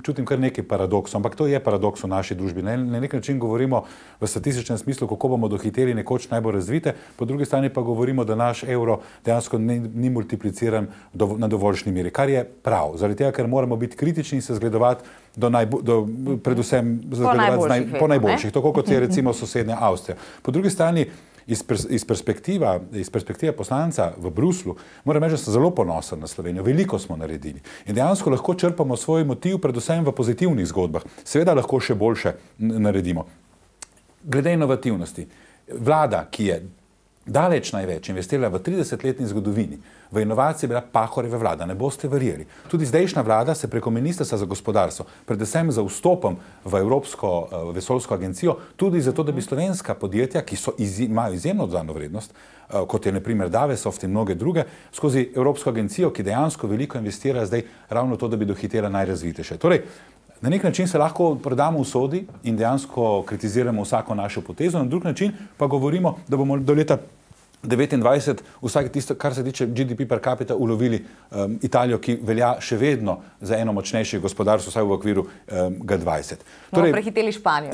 čutim kar nekaj paradoksov, ampak to je paradoks v naši družbi. Na nek način govorimo v statističnem smislu, kako bomo dohiteli nekoč najbolj razvite, po drugi strani pa govorimo, da naš evro dejansko ni multipliciran na dovoljšni meri, kar je prav. Zaradi tega, ker moramo biti kritični in se zgledovati predvsem po najboljših, tako kot je recimo sosednja Avstrija. Po drugi strani, iz perspektive poslanca v Bruslu, moram reči, da sem zelo ponosen na Slovenijo. Veliko smo naredili. In dejansko lahko črpamo svoj motiv predvsem v pozitivnih zgodbah. Seveda lahko še boljše naredimo. Glede inovativnosti. Vlada, ki je daleč največ investirala v 30-letni zgodovini, v inovacije bila Pahorjeva vlada, ne boste verjeli. Tudi zdajšnja vlada se preko Ministrstva za gospodarstvo, predvsem za vstopom v Evropsko vesoljsko agencijo, tudi zato, da bi slovenska podjetja, ki imajo izjemno dodano vrednost, kot je na primer Davesoft in mnoge druge, skozi Evropsko agencijo, ki dejansko veliko investira zdaj ravno to, da bi dohitela najrazvitejše. Torej, na nek način se lahko prodamo v sodi in dejansko kritiziramo vsako našo potezo, na drug način pa govorimo, da bomo do leta 2029 vsake tisto, kar se tiče GDP per capita, ulovili Italijo, ki velja še vedno za eno močnejše gospodarstvo, vsaj v okviru G20. Torej, prehiteli Španijo.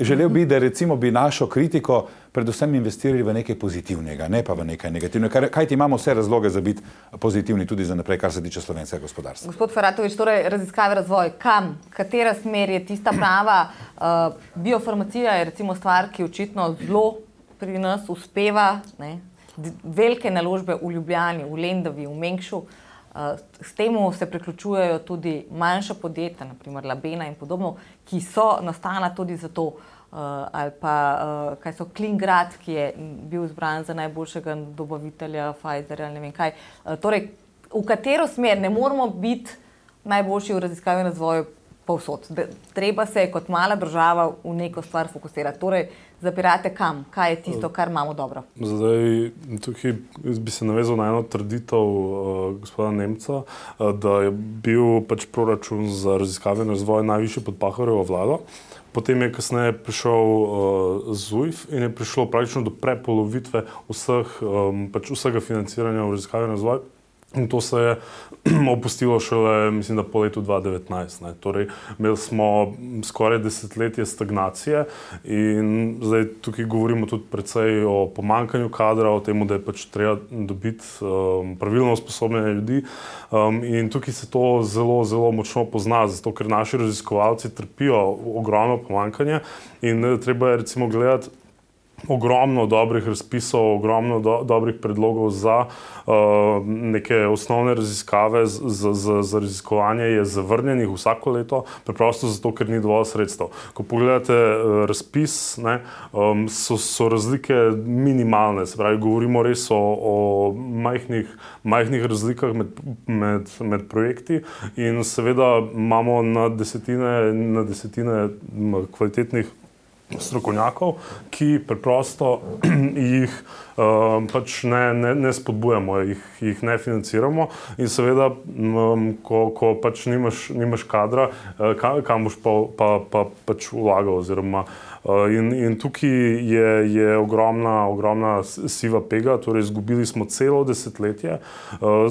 Želel bi, da recimo bi našo kritiko predvsem investirali v nekaj pozitivnega, ne pa v nekaj negativnega. Kajti imamo vse razloge za biti pozitivni tudi za naprej, kar se tiče slovenskega gospodarstva. Gospod Feratovič, torej raziskave, razvoj, kam, katera smer je tista prava? Biofarmacija je recimo stvar, ki očitno zelo pri nas uspeva, ne? Velike naložbe v Ljubljani, v Lendavi, v Mengšu. S temu se priključujejo tudi manjša podjetja, naprimer Labena in podobno, ki so nastala tudi zato, ali pa kaj so Klingrad, ki je bil izbran za najboljšega dobavitelja Pfizerja ali ne vem kaj. Torej, v katero smer ne moramo biti najboljši v raziskavi in razvoju povsod. Treba se kot mala država v neko stvar fokusirati. Torej, zapirate kam? Kaj je tisto, kar imamo dobro? Zdaj, tukaj bi se navezal na eno trditev gospoda Nemca, da je bil pač proračun za raziskave in razvoj najvišji pod Pahorjevo vlado. Potem je kasneje prišel ZUJF in je prišlo praktično do prepolovitve vsega financiranja v raziskave in razvoj. In to se je opustilo šele, mislim, da po letu 2019. Ne. Torej, imeli smo skoraj desetletje stagnacije in zdaj tukaj govorimo tudi precej o pomanjkanju kadra, o tem, da je pač treba dobiti pravilno usposobljene ljudi. In tukaj se to zelo, zelo močno pozna, zato ker naši raziskovalci trpijo ogromno pomanjkanje in treba je recimo gledati ogromno dobrih razpisov, ogromno dobrih predlogov za neke osnovne raziskave, za raziskovanje je zavrnjenih vsako leto, preprosto zato, ker ni dovolj sredstev. Ko pogledate razpis, ne, so razlike minimalne, se pravi, govorimo res o majhnih razlikah med projekti in seveda imamo na desetine kvalitetnih strokovnjakov, ki preprosto jih pač ne spodbujamo, jih ne financiramo in seveda, ko pač nimaš kadra, kam boš pa pač vlagal oziroma in tukaj je ogromna siva pega, torej izgubili smo celo desetletje.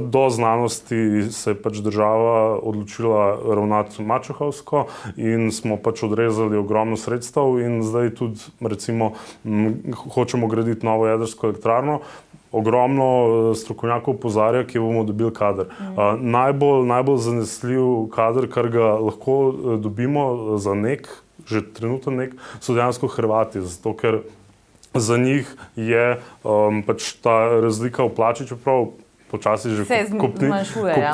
Do znanosti se je pač država odločila ravnati mačehovsko in smo pač odrezali ogromno sredstev in zdaj tudi recimo hočemo graditi novo jedrsko elektrarno. Ogromno strokovnjakov opozarja, kje bomo dobili kader. Najbolj zanesljiv kader, kar ga lahko dobimo za že trenutno so dejansko Hrvati, zato ker za njih je pač ta razlika v plači, čeprav počasi že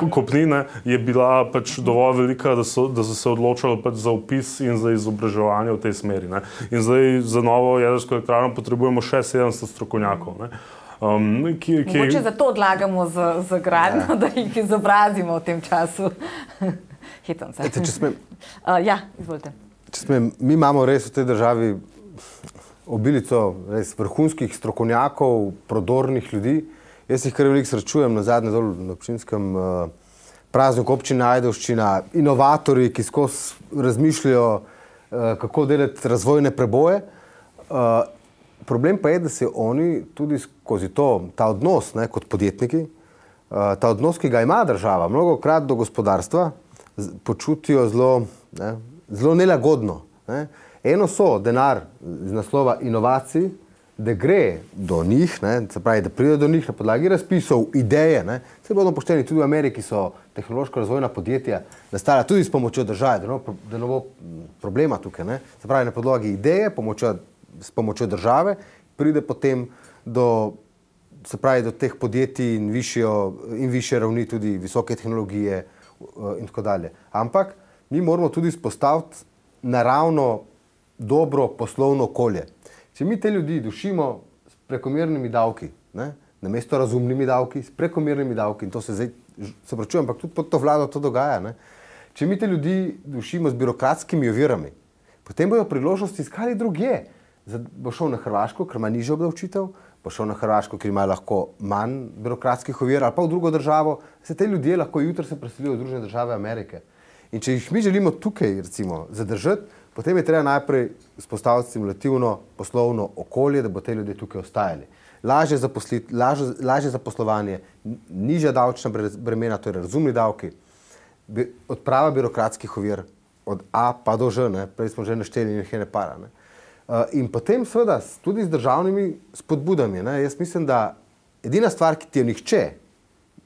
kopnine je bila pač dovolj velika, da so se odločali pač za vpis in za izobraževanje v tej smeri. Ne. In zdaj za novo jedrsko elektrarno potrebujemo še 700 strokovnjakov. Ne. Mogoče zato odlagamo z gradnjo, da jih izobrazimo v tem času. Hitam se. Ja, izvolite. Mi imamo res v tej državi obilico res vrhunskih strokovnjakov, prodornih ljudi. Jaz jih kar veliko srečujem nazadnje dol na občinskem prazniku občine Ajdovščina, inovatorji, ki skozi razmišljajo, kako delati razvojne preboje. Problem pa je, da se oni tudi skozi ta odnos, ne, kot podjetniki, ta odnos, ki ga ima država, mnogokrat do gospodarstva, počutijo zelo nelagodno. Ne. Eno so denar z naslova inovacij, da gre do njih, ne, se pravi, da pride do njih na podlagi razpisov, ideje. Ne. Se bodo pošteni, tudi v Ameriki so tehnološko razvojna podjetja nastala tudi s pomočjo države, da ne bo problema tukaj. Ne. Se pravi, na podlagi ideje, s pomočjo države, pride potem do teh podjetij in višje ravni tudi visoke tehnologije in tako dalje. Ampak mi moramo tudi spostaviti naravno dobro poslovno okolje. Če mi te ljudi dušimo s prekomernimi davki, ne, namesto razumnimi davki, s prekomernimi davki, in to se zdaj, se pravčujem, ampak tudi pod to vlado to dogaja, ne. Če mi te ljudi dušimo s birokratskimi ovirami, potem bojo priložnosti iskali drugje. Bo šel na Hrvaško, ker ima nižjo obdavčitev, bo šel na Hrvaško, ker ima lahko manj birokratskih ovir, ali pa v drugo državo. Se te ljudje lahko jutri se preselijo v Združene države Amerike. In če jih mi želimo tukaj, recimo, zadržati, potem je treba najprej spostaviti stimulativno poslovno okolje, da bo te ljudje tukaj ostajali. Lažje zaposlovanje, nižja davčna bremena, to je razumni davki, odprava birokratskih ovir od A pa do Ž, ne? Prej smo že našteli in jih je ne para. Ne? In potem seveda tudi z državnimi spodbudami. Ne? Jaz mislim, da edina stvar, ki ti jo nihče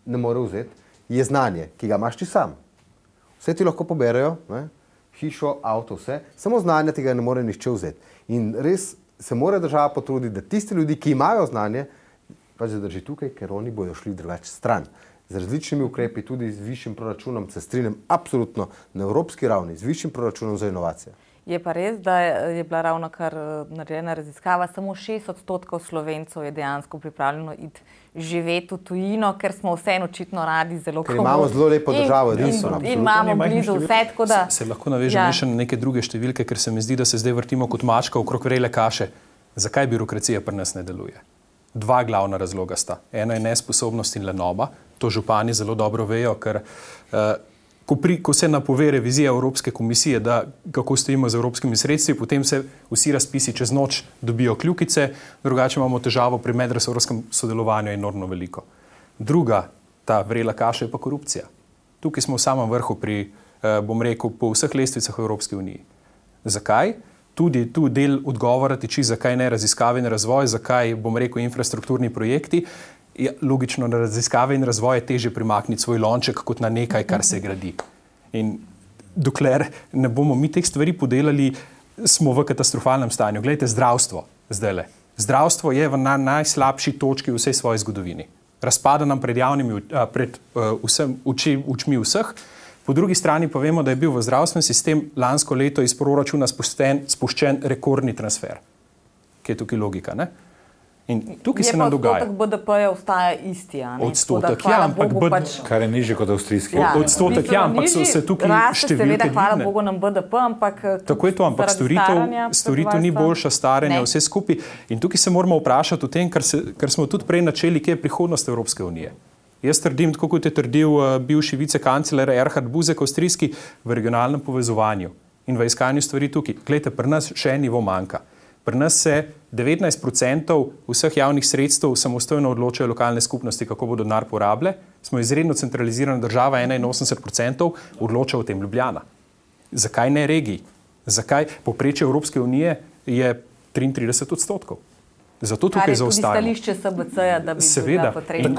ne more vzeti, je znanje, ki ga imaš ti sam. Vse ti lahko poberejo, ne? Hišo, avto, vse, samo znanje tega ne more nihče vzeti. In res se mora država potruditi, da tisti ljudi, ki imajo znanje, pač zadrži tukaj, ker oni bodo šli drugače stran. Z različnimi ukrepi, tudi z višjim proračunom, se strinjam absolutno na evropski ravni, z višjim proračunom za inovacije. Je pa res, da je bila ravno kar narejena raziskava, samo 6% Slovencev je dejansko pripravljeno iti živeti v tujino, ker smo vseeno očitno radi zelo komodni. Ker imamo zelo lepo državo, in imamo blizu vse, tako da... Se lahko navežem še na neke druge številke, ker se mi zdi, da se zdaj vrtimo kot mačka okrog vrele kaše. Zakaj birokracija pri nas ne deluje? Dva glavna razloga sta. Ena je nesposobnost in lenoba. To župani zelo dobro vejo, ker ko se napove revizija Evropske komisije, da kako stojimo z evropskimi sredstvi, potem se vsi razpisi čez noč dobijo kljukice, drugače imamo težavo pri medresorskem sodelovanju enormno veliko. Druga, ta vrela kaša je pa korupcija. Tukaj smo v samem vrhu pri, bom rekel, po vseh lestvicah v Evropski uniji. Zakaj? Tudi tu del odgovora tiči, zakaj ne raziskave in razvoj, zakaj, bom rekel, infrastrukturni projekti. Je logično, na raziskave in razvoj je težje primakniti svoj lonček kot na nekaj, kar se gradi. In dokler ne bomo mi teh stvari podelali, smo v katastrofalnem stanju. Glejte, zdravstvo zdajle. Zdravstvo je na najslabši točki v vsej svoji zgodovini. Razpada nam pred očmi vseh. Po drugi strani pa vemo, da je bil v zdravstveni sistem lansko leto iz proračuna spuščen rekordni transfer. Kje je tukaj logika, ne? In tukaj se nam dogaja. Odstotek BDP-ja ostaja isti, a ne? Odstotek, ja, ampak kar je nižji kot avstrijski. Ja, odstotek, ja, ampak so se tukaj številke dvigne. Seveda, hvala Bogu nam BDP, ampak tako je to, ampak storitev ni boljša, staranje, vse skupaj. In tukaj se moramo vprašati o tem, kar smo tudi prej načeli, kje je prihodnost Evropske unije. Jaz trdim, tako kot je trdil bivši vicekancler Erhard Buzek, avstrijski, v regionalnem povezovanju in v iskanju stvari tukaj. Glejte, pri nas še en nivo manjka. Pri nas se 19% vseh javnih sredstev samostojno odločajo lokalne skupnosti, kako bodo denar porabile. Smo izredno centralizirana država, 81% odloča o tem Ljubljana. Zakaj ne regiji? Zakaj? Povprečje Evropske unije je 33%. Zato tukaj zaostajamo. Kar je tudi stališče SBC-ja, da bi bila potrebna.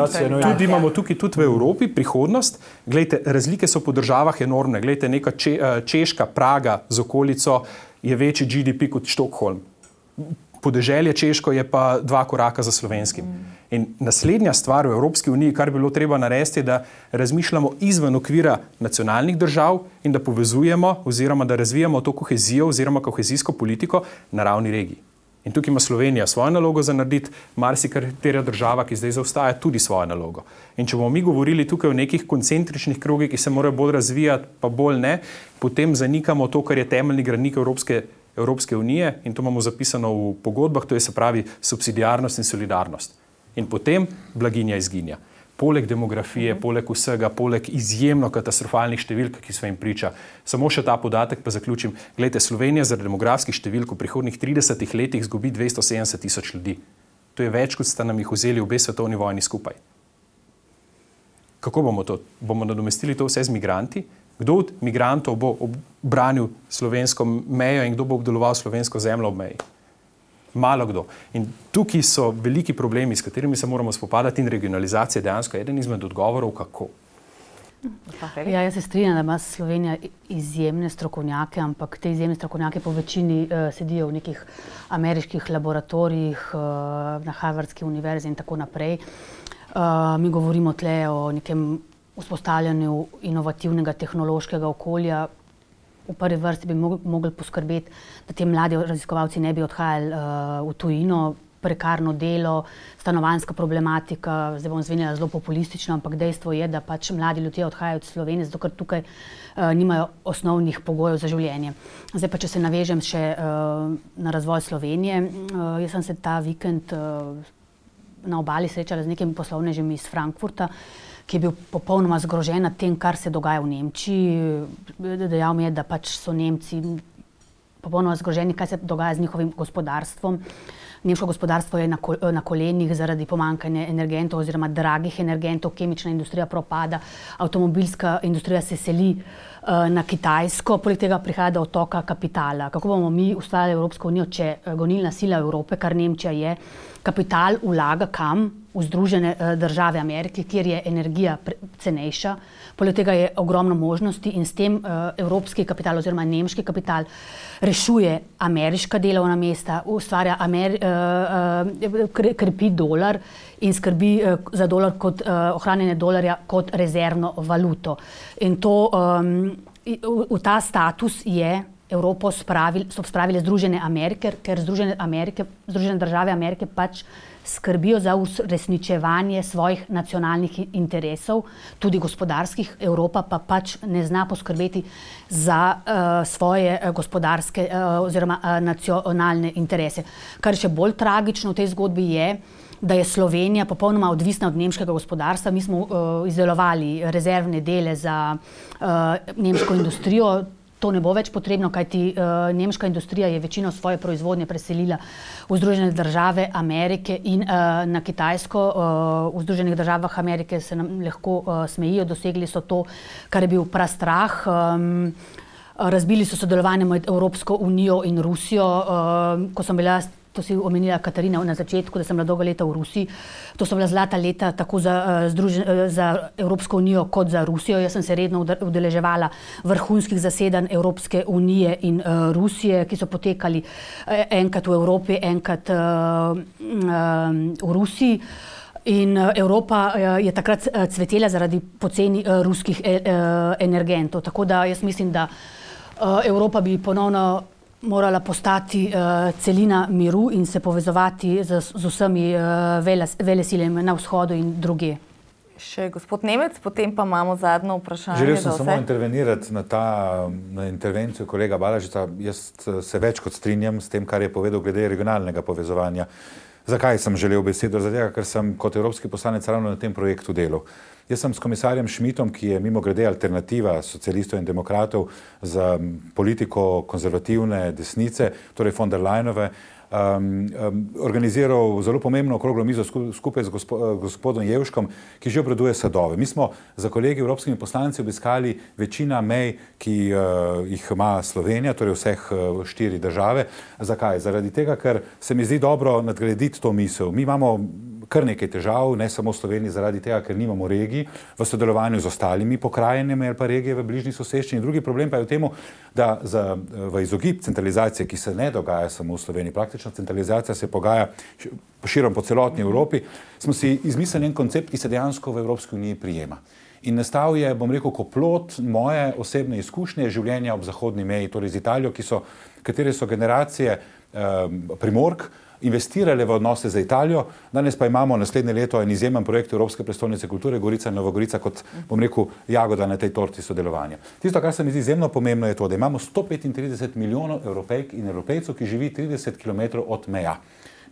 Seveda, imamo tukaj tudi v Evropi prihodnost. Glejte, razlike so po državah enormne. Glejte, neka Češka, Praga z okolico je večji GDP kot Štokholm. Podeželje Češko je pa 2 koraka za slovenskim. In naslednja stvar v Evropski uniji, kar bi bilo treba narediti, je, da razmišljamo izven okvira nacionalnih držav in da povezujemo oziroma da razvijamo to kohezijo oziroma kohezijsko politiko na ravni regij. In tukaj ima Slovenija svojo nalogo za narediti, marsikatera država, ki zdaj zaostaja, tudi svojo nalogo. In če bomo mi govorili tukaj o nekih koncentričnih krogih, ki se morajo bolj razvijati, pa bolj ne, potem zanikamo to, kar je temeljni gradnik Evropske unije in to imamo zapisano v pogodbah, to je se pravi subsidiarnost in solidarnost. In potem blaginja izginja. Poleg demografije, poleg vsega, poleg izjemno katastrofalnih številk, ki smo jim priča. Samo še ta podatek pa zaključim. Glejte, Slovenija zaradi demografskih številk v prihodnjih 30 letih izgubi 270 000 ljudi. To je več, kot sta nam jih vzeli obe svetovni vojni skupaj. Kako bomo to? Bomo nadomestili to vse z migranti? Kdo od migrantov bo obranil slovensko mejo in kdo bo obdeloval slovensko zemljo ob meji? Malo kdo. In tukaj so veliki problemi, s katerimi se moramo spopadati in regionalizacija je dejansko eden izmed odgovorov, kako. Ja, jaz se strinjam, da ima Slovenija izjemne strokovnjake, ampak te izjemne strokovnjake po večini sedijo v nekih ameriških laboratorijih, na Harvardski univerzi in tako naprej. Mi govorimo tle o nekem vzpostavljanju inovativnega tehnološkega okolja. V prvi vrsti bi mogli poskrbeti, da ti mladi raziskovalci ne bi odhajali v tujino, prekarno delo, stanovanjska problematika, zdaj bom zvenjala zelo populistično, ampak dejstvo je, da pač mladi ljudje odhajajo od Slovenije, zato ker tukaj nimajo osnovnih pogojev za življenje. Zdaj pa, če se navežem še na razvoj Slovenije, jaz sem se ta vikend na obali srečala z nekimi poslovnežami iz Frankfurta, ki je bil popolnoma zgrožen nad tem, kar se dogaja v Nemčiji. Dejal mi je, da pač so Nemci popolnoma zgroženi, kaj se dogaja z njihovim gospodarstvom. Nemško gospodarstvo je na kolenih zaradi pomanjkanja energentov oziroma dragih energentov, kemična industrija propada, avtomobilska industrija se seli na Kitajsko, poleg tega prihaja do odtoka kapitala. Kako bomo mi ustvarjali Evropsko unijo, če gonilna sila Evrope, kar Nemčija je, kapital vlaga kam? V Združene države Amerike, kjer je energija cenejša, poleg tega je ogromno možnosti in s tem evropski kapital oziroma nemški kapital rešuje ameriška delovna mesta, ustvarja krepi dolar in skrbi za dolar kot ohranjanje dolarja kot rezervno valuto. In to v ta status je Evropo so spravile Združene Amerike, ker Združene države Amerike pač skrbijo za uresničevanje svojih nacionalnih interesov, tudi gospodarskih. Evropa pa pač ne zna poskrbeti za svoje gospodarske oziroma nacionalne interese. Kar še bolj tragično v tej zgodbi je, da je Slovenija popolnoma odvisna od nemškega gospodarstva. Mi smo izdelovali rezervne dele za nemško industrijo. To ne bo več potrebno, kajti nemška industrija je večino svoje proizvodnje preselila v Združene države Amerike in na Kitajsko. V Združenih državah Amerike se nam lahko smejijo, dosegli so to, kar je bil prastrah. Razbili so sodelovanje med Evropsko unijo in Rusijo. Ko sem bila to si omenila Katarina na začetku, da sem bila dolga leta v Rusiji. To so bila zlata leta tako za Evropsko unijo kot za Rusijo. Jaz sem se redno udeleževala vrhunskih zasedanj Evropske unije in Rusije, ki so potekali enkrat v Evropi, enkrat v Rusiji. In Evropa je takrat cvetela zaradi poceni ruskih energentov. Tako da jaz mislim, da Evropa bi ponovno morala postati celina miru in se povezovati z vsemi velesilami na vzhodu in druge. Še gospod Nemec, potem pa imamo zadnjo vprašanje. Želel sem samo intervenirati na intervencijo kolega Balažiča. Jaz se več kot strinjam s tem, kar je povedal glede regionalnega povezovanja. Zakaj sem želel besedo? Zato, ker sem kot evropski poslanec ravno na tem projektu delal. Jaz sem s komisarjem Schmidtom, ki je mimogrede alternativa socialistov in demokratov za politiko konzervativne desnice, torej von der Leyenove, organiziral zelo pomembno okroglo mizo skupaj z gospodom Jevškom, ki že obraduje sadove. Mi smo za kolegi evropskimi poslanci obiskali večina mej, ki jih ima Slovenija, torej vseh 4 države. Zakaj? Zaradi tega, ker se mi zdi dobro nadgraditi to misel. Mi imamo kar nekaj težav, ne samo v Sloveniji, zaradi tega, ker nimamo regij v sodelovanju z ostalimi pokrajinami ali pa regije v bližnji soseščini. Drugi problem pa je v tem, da v izogib centralizacije, ki se ne dogaja samo v Sloveniji, praktično centralizacija se pogaja širom po celotni Evropi, smo si izmislili en koncept, ki se dejansko v Evropski uniji prijema. In nastal je, bom rekel, kot plod moje osebne izkušnje življenja ob zahodni meji, torej z Italijo, katere so generacije Primork investirale v odnose za Italijo. Danes pa imamo naslednje leto en izjemen projekt Evropske prestolnice kulture Gorica in Novogorica kot, bom rekel, jagoda na tej torti sodelovanja. Tisto, kar se mi zdi izjemno pomembno, je to, da imamo 135 milijonov Evropejk in Evropejcev, ki živi 30 km od meja.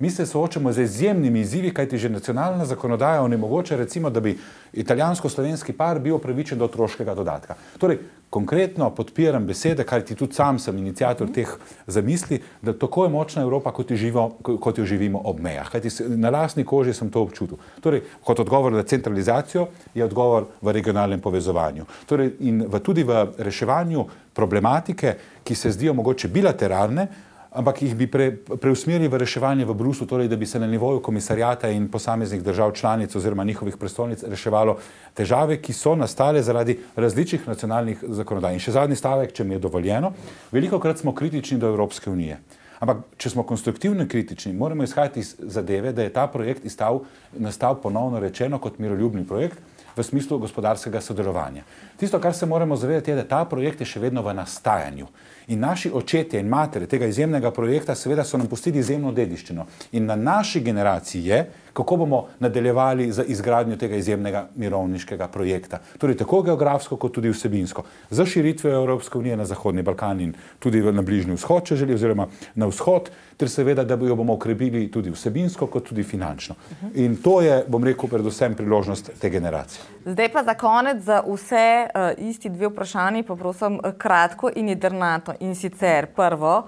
Mi se soočamo z izjemnimi izzivi, kajti že nacionalna zakonodaja onemogoča, recimo, da bi italijansko-slovenski par bil upravičen do otroškega dodatka. Torej, konkretno podpiram besede, kajti tudi sam sem iniciator teh zamisli, da tako je močna Evropa, kot jo živimo ob mejah. Kajti na lastni koži sem to občutil. Torej, kot odgovor na centralizacijo je odgovor v regionalnem povezovanju. Torej, in tudi v reševanju problematike, ki se zdijo mogoče bilateralne, ampak jih bi preusmerili v reševanje v Bruslju, torej da bi se na nivoju komisarjata in posameznih držav članic oziroma njihovih prestolnic reševalo težave, ki so nastale zaradi različnih nacionalnih zakonodaj. In še zadnji stavek, če mi je dovoljeno, velikokrat smo kritični do Evropske unije. Ampak, če smo konstruktivno kritični, moramo izhajati iz zadeve, da je ta projekt nastal ponovno rečeno kot miroljubni projekt v smislu gospodarskega sodelovanja. Tisto, kar se moramo zavedati, je, da ta projekt je še vedno v nastajanju. In naši očetje in matere tega izjemnega projekta seveda so nam pustili izjemno dediščino. In na naši generaciji je, kako bomo nadaljevali za izgradnjo tega izjemnega mirovniškega projekta. Torej tako geografsko, kot tudi vsebinsko. Za širitve Evropske unije na Zahodni Balkan in tudi na Bližnji vzhod, če želi, oziroma na vzhod, ter seveda, da jo bomo okrepili tudi vsebinsko, kot tudi finančno. In to je, bom rekel, predvsem priložnost te generacije. Zdaj pa za konec za vse isti 2 vprašanji, pa prosim kratko in jedrnato. In sicer prvo,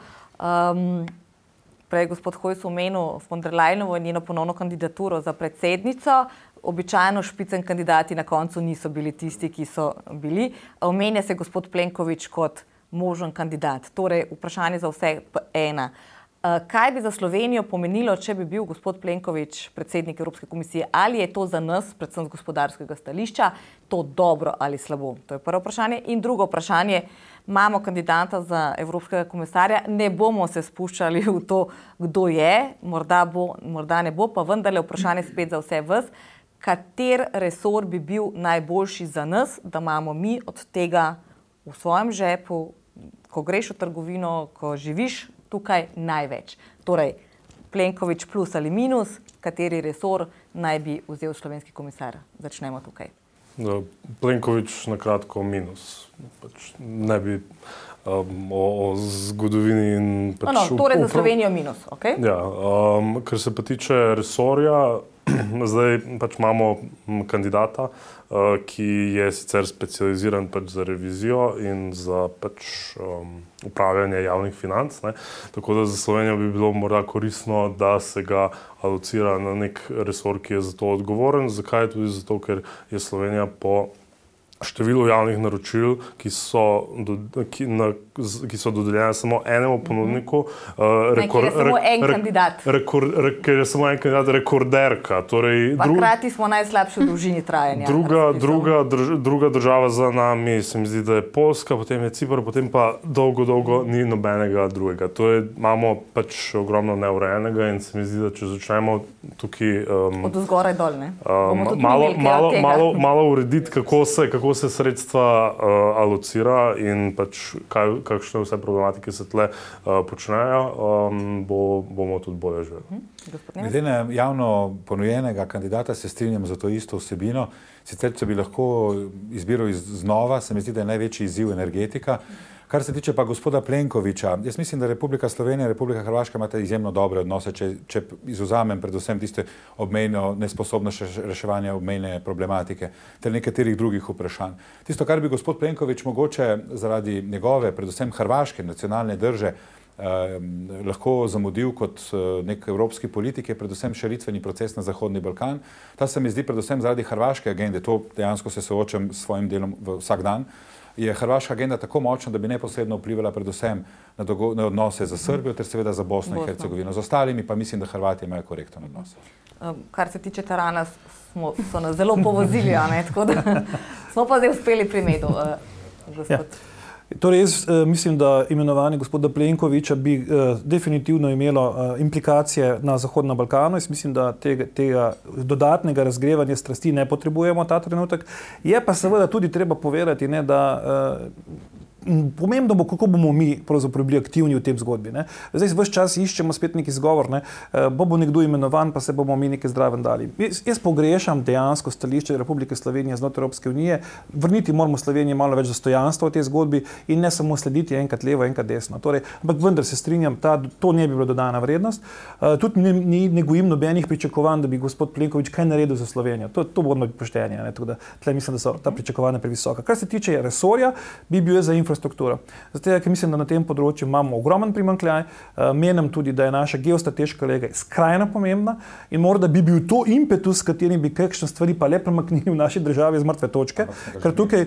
prej gospod Hojs omenil von der Leyenovo in njeno ponovno kandidaturo za predsednico. Običajno špicen kandidati na koncu niso bili tisti, ki so bili. Omenja se gospod Plenković kot možen kandidat. Torej, vprašanje za vse ena. Kaj bi za Slovenijo pomenilo, če bi bil gospod Plenković predsednik Evropske komisije? Ali je to za nas, predvsem z gospodarskega stališča, to dobro ali slabo? To je prvo vprašanje. In drugo vprašanje, imamo kandidata za evropskega komisarja, ne bomo se spuščali v to, kdo je, morda bo, morda ne bo, pa vendarle vprašanje spet za vse vas. Kater resor bi bil najboljši za nas, da imamo mi od tega v svojem žepu, ko greš v trgovino, ko živiš tukaj največ. Torej, Plenković plus ali minus, kateri resor naj bi vzel slovenski komisar? Začnemo tukaj. Plenković na kratko minus. Ne bi o zgodovini in torej za Slovenijo minus, ok? Ja, kar se pa tiče resorja, zdaj pač imamo kandidata, ki je sicer specializiran pač za revizijo in za pač upravljanje javnih financ, ne. Tako da za Slovenijo bi bilo morda koristno, da se ga alocira na nek resor, ki je za to odgovoren. Zakaj? Tudi zato, ker je Slovenija po število javnih naročil, ki so dodeljene samo enemu ponudniku, ker je samo en kandidat. Ker je samo en kandidat rekorderka. Torej, hkrati smo najslabši v dolžini trajanja. Druga država za nami se mi zdi, da je Poljska, potem je Cipar, potem pa dolgo ni nobenega drugega. Imamo pač ogromno neurejenega in se mi zdi, da če začnemo tukaj od zgoraj dol, ne? Malo urediti, kako se sredstva alocira in pač kakšne vse problematike se tle počnejo, bomo tudi bolje živeli. Glede na javno ponujenega kandidata se strinjam za to isto vsebino. Sicer, če bi lahko izbiral znova, se mi zdi, da je največji izziv energetika. Kar se tiče pa gospoda Plenkovića, jaz mislim, da Republika Slovenija in Republika Hrvaška imata izjemno dobre odnose, če izvzamem predvsem tiste obmejno nesposobnost reševanja obmejne problematike ter nekaterih drugih vprašanj. Tisto, kar bi gospod Plenković mogoče zaradi njegove, predvsem hrvaške nacionalne drže, lahko zamudil kot nek evropski politik, je predvsem širitveni proces na Zahodni Balkan. Ta se mi zdi predvsem zaradi hrvaške agende, to dejansko se soočam s svojim delom vsak dan, je hrvaška agenda tako močna, da bi neposredno vplivala predvsem na odnose za Srbijo ter seveda za Bosno in Hercegovino. Z ostalimi pa mislim, da Hrvati imajo korekten odnos. Kar se tiče Tarana, so nas zelo povozili, tako da smo pa zdaj uspeli pri medu. Torej, jaz mislim, da imenovanje gospoda Plenkovića bi definitivno imelo implikacije na Zahodnem Balkanu. Jaz mislim, da tega dodatnega razgrevanja strasti ne potrebujemo ta trenutek. Je pa seveda tudi treba povedati, da pomembno bo, kako bomo mi pravzaprav bili aktivni v tem zgodbi. Zdaj vse čas iščemo spet neki izgovor, bo nekdo imenovan, pa se bomo mi nekaj zdraven dali. Jaz pogrešam dejansko stališče Republike Slovenije znotraj Evropske unije. Vrniti moramo Sloveniji malo več dostojanstva v tej zgodbi in ne samo slediti enkrat levo, enkrat desno. Ampak vendar se strinjam, to ne bi bila dodana vrednost. Tudi ne gojim nobenih pričakovanj, da bi gospod Plenković kaj naredil za Slovenijo. To bomo pošteni. Tle mislim, da so ta pričakovanja previsoka. Kar se tiče resorja, bi bil za infrastrukturo. Zato, ker mislim, da na tem področju imamo ogromen primanjkljaj, menim tudi, da je naša geostrateška lega skrajno pomembna in morda bi bil to impetus, s katerim bi kakšne stvari pa le premaknili v naši državi z mrtve točke, ker tukaj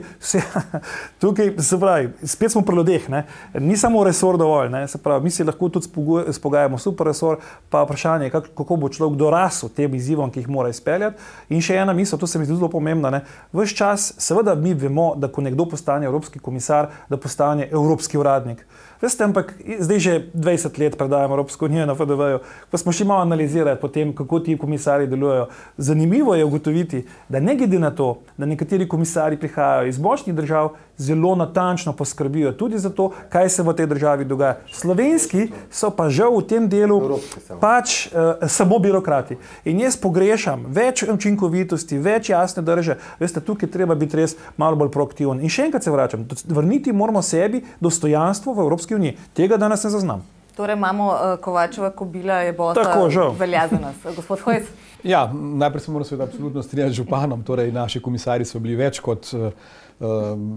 se pravi, spet smo pri ljudeh, ni samo resor dovolj, se pravi, mi se lahko tudi spogajamo super resor, pa vprašanje, kako bo človek dorasel tem izzivom, ki jih mora izpeljati. In še ena misel, to se mi zdi zelo pomembna, ves čas, seveda mi vemo, da ko nekdo postane evropski komisar, da postane evropski uradnik. Veste, ampak zdaj že 20 let predajamo Evropsko unijo na FDV-ju, pa smo še malo analizirali potem, kako ti komisarji delujejo. Zanimivo je ugotoviti, da ne glede na to, da nekateri komisarji prihajajo iz močnih držav, zelo natančno poskrbijo tudi za to, kaj se v tej državi dogaja. Slovenski so pa žal v tem delu pač samo birokrati. In jaz pogrešam več učinkovitosti, več jasne drže. Veste, tukaj treba biti res malo bolj proaktiven. In še enkrat se vračam, vrniti moramo sebi dostojanstvo v Evropski uniji. Tega danes ne zaznam. Torej imamo Kovačeva kobila, je bosta velja za nas. Gospod Hojs? Ja, najprej se moram seveda absolutno strinjati z županom. Torej, naši komisarji so bili več kot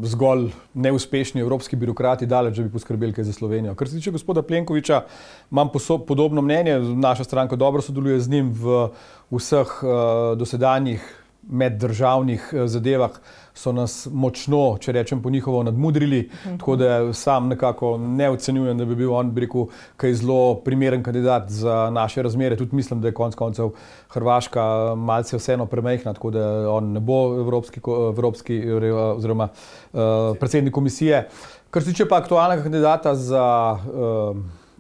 zgolj neuspešni evropski birokrati, daleč, da bi poskrbeli kaj za Slovenijo. Kar se tiče gospoda Plenkovića, imam podobno mnenje, naša stranka dobro sodeluje z njim v vseh dosedanjih meddržavnih zadevah, so nas močno, če rečem po njihovo, nadmudrili, tako da sam nekako ne ocenjujem, da bi bil on, bi rekel, kaj zelo primeren kandidat za naše razmere. Tudi mislim, da je konec koncev Hrvaška malce vseeno premajhna, tako da on ne bo evropski oziroma predsednik komisije. Kar se tiče pa aktualnega kandidata za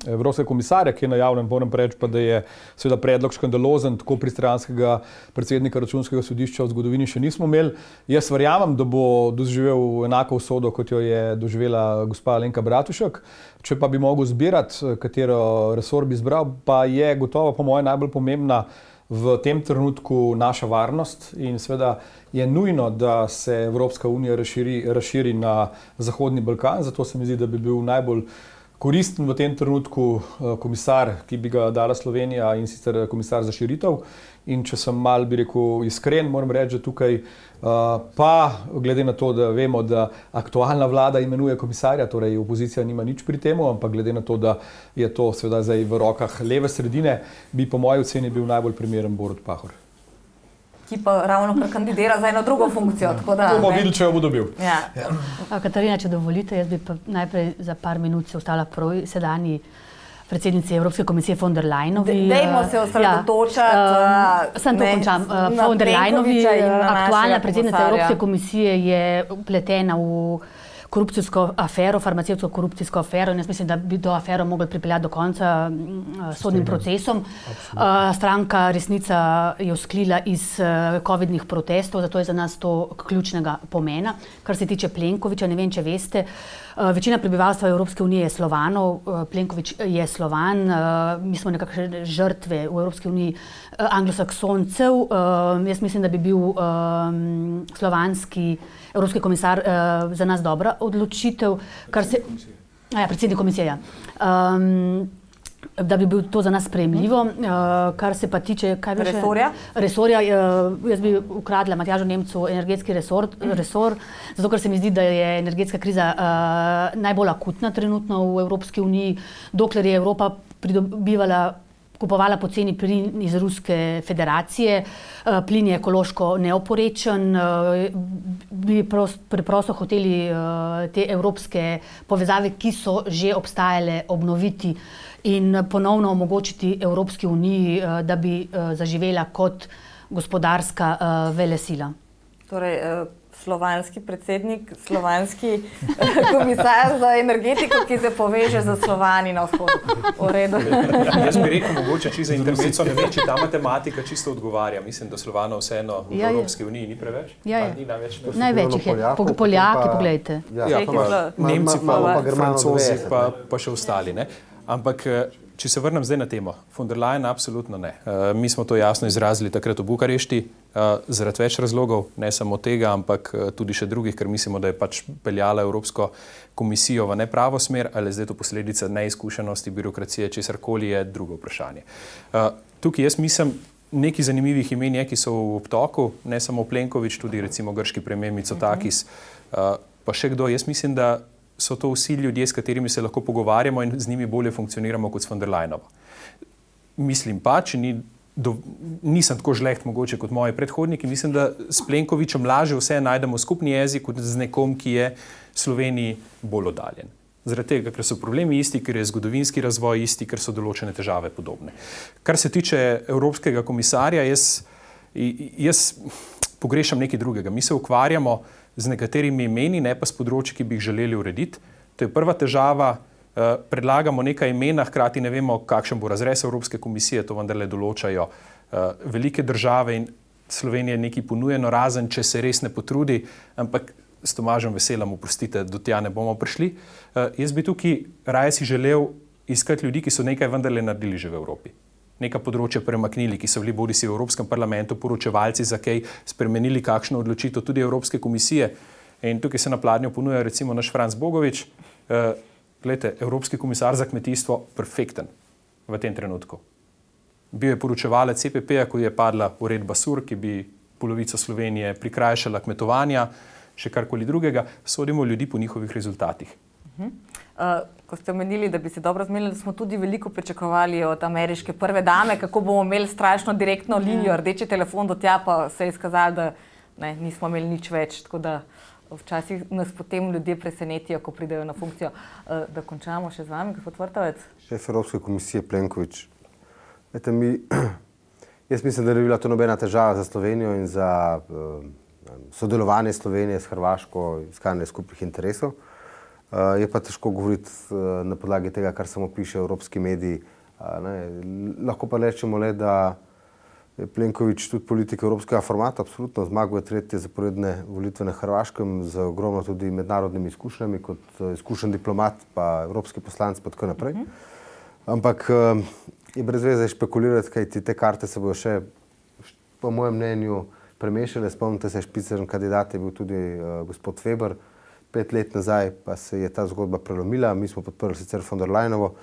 evropskega komisarja, ki je najavljen, moram reči pa, da je seveda predlog škandalozen, tako pristranskega predsednika Računskega sodišča v zgodovini še nismo imeli. Jaz verjamem, da bo doživel enako usodo, kot jo je doživela gospa Alenka Bratušek. Če pa bi mogel zbirati, katero resor bi izbral, pa je gotovo po mojem najbolj pomembna v tem trenutku naša varnost in seveda je nujno, da se Evropska unija razširi na Zahodni Balkan, zato se mi zdi, da bi bil najbolj koristen v tem trenutku komisar, ki bi ga dala Slovenija, in sicer komisar za širitev. In če sem mal, bi rekel, iskren, moram reči, da tukaj pa, glede na to, da vemo, da aktualna vlada imenuje komisarja, torej opozicija nima nič pri temu, ampak glede na to, da je to seveda zdaj v rokah leve sredine, bi po moji oceni bil najbolj primeren Borut Pahor. ki pa ravno kar kandidira za eno drugo funkcijo. Bomo videli, če jo bo dobil. Ja. Katarina, če dovolite, jaz bi pa najprej za par minut se ostala prav sedanji predsednici Evropske komisije von der Leyenovi. Dajmo se osredotočati. Sem to končam. Von der Leyenovi, aktualna predsednica Evropske komisije, je vpletena v korupcijsko afero, farmacevtsko korupcijsko afero in jaz mislim, da bi to afero mogli pripeljati do konca sodnim procesom. Stranka Resnica je vzklila iz covidnih protestov, zato je za nas to ključnega pomena. Kar se tiče Plenkovića, ne vem, če veste, večina prebivalstva Evropske unije je Slovanov, Plenković je Slovan, mi smo nekakšne žrtve v Evropski uniji anglosaksoncev. Jaz mislim, da bi bil slovanski evropski komisar za nas dobra odločitev, predsednik komisije, ja. Da bi bil to za nas sprejemljivo. Kar se pa tiče resorja, jaz bi ukradla Matjažu Nemcu energetski resor, zato ker se mi zdi, da je energetska kriza najbolj akutna trenutno v Evropski uniji, dokler je Evropa kupovala poceni plin iz Ruske federacije, plin je ekološko neoporečen, bi preprosto hoteli te evropske povezave, ki so že obstajale, obnoviti in ponovno omogočiti Evropski uniji, da bi zaživela kot gospodarska velesila. Torej, slovanski predsednik, slovanski komisar za energetiko, ki se poveže za Slovani na vzhodu. V redu. Jaz bi rekel, mogoče čisto za intervencijo, ne vem, če ta matematika čisto odgovarja. Mislim, da Slovanov vseeno v Evropski uniji ni preveč. Ni največ jih je. Poljaki, pogledajte. Nemci, Francozi, pa še ostali. Ampak, če se vrnem zdaj na temo, von der Leyen absolutno ne. Mi smo to jasno izrazili takrat v Bukarešti, zaradi več razlogov, ne samo tega, ampak tudi še drugih, ker mislimo, da je pač peljala Evropsko komisijo v nepravo smer, ali zdaj to posledica neizkušenosti, birokracije, česarkoli je drugo vprašanje. Tukaj jaz mislim, nekaj zanimivih imen je, ki so v obtoku, ne samo Plenković, tudi recimo grški premier Mitsotakis, pa še kdo. Jaz mislim, da so to vsi ljudje, s katerimi se lahko pogovarjamo in z njimi bolje funkcioniramo kot s von der Leyenovo. Mislim pa, če nisem tako žleht mogoče kot moji predhodniki, mislim, da s Plenkovićem lažje vse najdemo skupni jezik kot z nekom, ki je Sloveniji bolj oddaljen. Zaradi tega, ker so problemi isti, ker je zgodovinski razvoj isti, ker so določene težave podobne. Kar se tiče evropskega komisarja, jaz pogrešam nekaj drugega. Mi se ukvarjamo z nekaterimi imeni, ne pa s področji, ki bi jih želeli urediti. To je prva težava. Predlagamo nekaj imena, hkrati ne vemo, kakšen bo razrez Evropske komisije, to vendarle določajo velike države in Slovenija nekaj ponujeno, razen če se res ne potrudi, ampak s Tomažem Veselom, oprostite, do tja ne bomo prišli. Jaz bi tukaj raje si želel iskati ljudi, ki so nekaj vendarle naredili že v Evropi. Neka področja premaknili, ki so bili bodisi v Evropskem parlamentu, poročevalci za kaj, spremenili kakšno odločitev tudi Evropske komisije. In tukaj se na pladnju ponuja recimo naš Franc Bogovič. Glejte, Evropski komisar za kmetijstvo, perfekten v tem trenutku. Bil je poročevalec CPP-ja, ko je padla uredba SUR, ki bi polovico Slovenije prikrajšala kmetovanja, še karkoli drugega. Sodimo ljudi po njihovih rezultatih. Ko ste omenili, da bi se dobro zmenili, da smo tudi veliko pričakovali od ameriške prve dame, kako bomo imeli strašno direktno linijo, rdeči telefon do tja, pa se je izkazalo, da nismo imeli nič več, tako da včasih nas potem ljudje presenetijo, ko pridejo na funkcijo. Da končamo še z vami, gospod Vrtovec. Šef Evropske komisije Plenković. Jaz mislim, da ne bi bila to nobena težava za Slovenijo in za sodelovanje Slovenije s Hrvaško, iskanje skupnih interesov. Je pa težko govoriti na podlagi tega, kar samo piše evropski mediji. Lahko pa rečemo le, da je Plenković tudi politik evropskega formata, absolutno zmaguje tretje zaporedne volitve na Hrvaškem z ogromno tudi mednarodnimi izkušnjami, kot izkušen diplomat, pa evropski poslanec, pa tako naprej. Ampak je brez veze špekulirati, kajti te karte se bojo še, po mojem mnenju, premešale. Spomnite se, špiceren kandidat je bil tudi gospod Weber, 5 let nazaj pa se je ta zgodba prelomila, mi smo podprli sicer von der Leyenovo,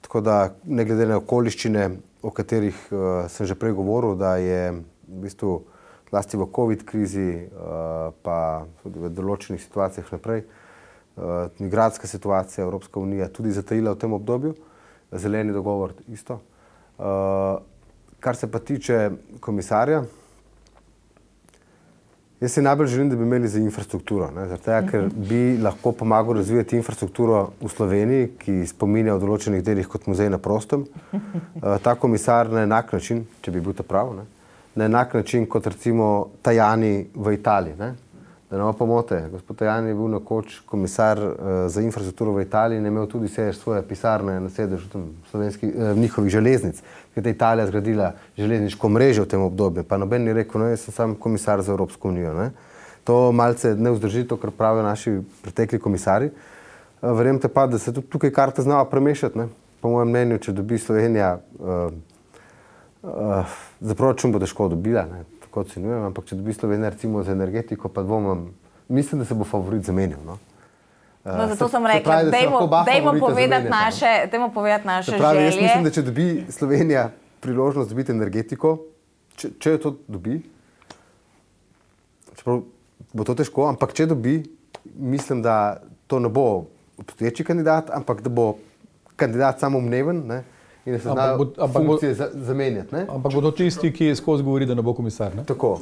tako da ne glede na okoliščine, o katerih sem že prej govoril, da je v bistvu zlasti v COVID krizi, pa tudi v določenih situacijah naprej, migracijska situacija, Evropska unija tudi zatajila v tem obdobju, zeleni dogovor isto. Kar se pa tiče komisarja, jaz si najbolj želim, da bi imeli za infrastrukturo, zato ker bi lahko pomagal razvijati infrastrukturo v Sloveniji, ki spominja v določenih delih kot muzej na prostem. Ta komisar na enak način, če bi bil to prav, na enak način kot recimo Tajani v Italiji. Da ne pomote, gospod Tajani je bil nekoč komisar za infrastrukturo v Italiji in je imel tudi sedež svoje pisarne na sedežu njihovih železnic, ker je Italija zgradila železniško mrežo v tem obdobju, pa noben ni rekel, no, jaz sem sam komisar za Evropsko unijo. To malce ne vzdrži to, kar pravijo naši pretekli komisari. Verjemite pa, da se tudi tukaj karte znava premešati. Po mojem mnenju, če dobi Slovenija, za proračun bo težko dobila, tako ocenjujem, ampak če dobi Slovenija recimo za energetiko, pa dvomim, mislim, da se bo favorit zamenil. Zato sem rekla, dajmo povedati naše želje. Jaz mislim, da če dobi Slovenija priložnost dobiti energetiko, če jo to dobi, čeprav bo to težko, ampak če dobi, mislim, da to ne bo obstoječi kandidat, ampak da bo kandidat samoumneven, in da se znajo funkcije zamenjati. Ampak bodo tisti, ki skozi govori, da ne bo komisar.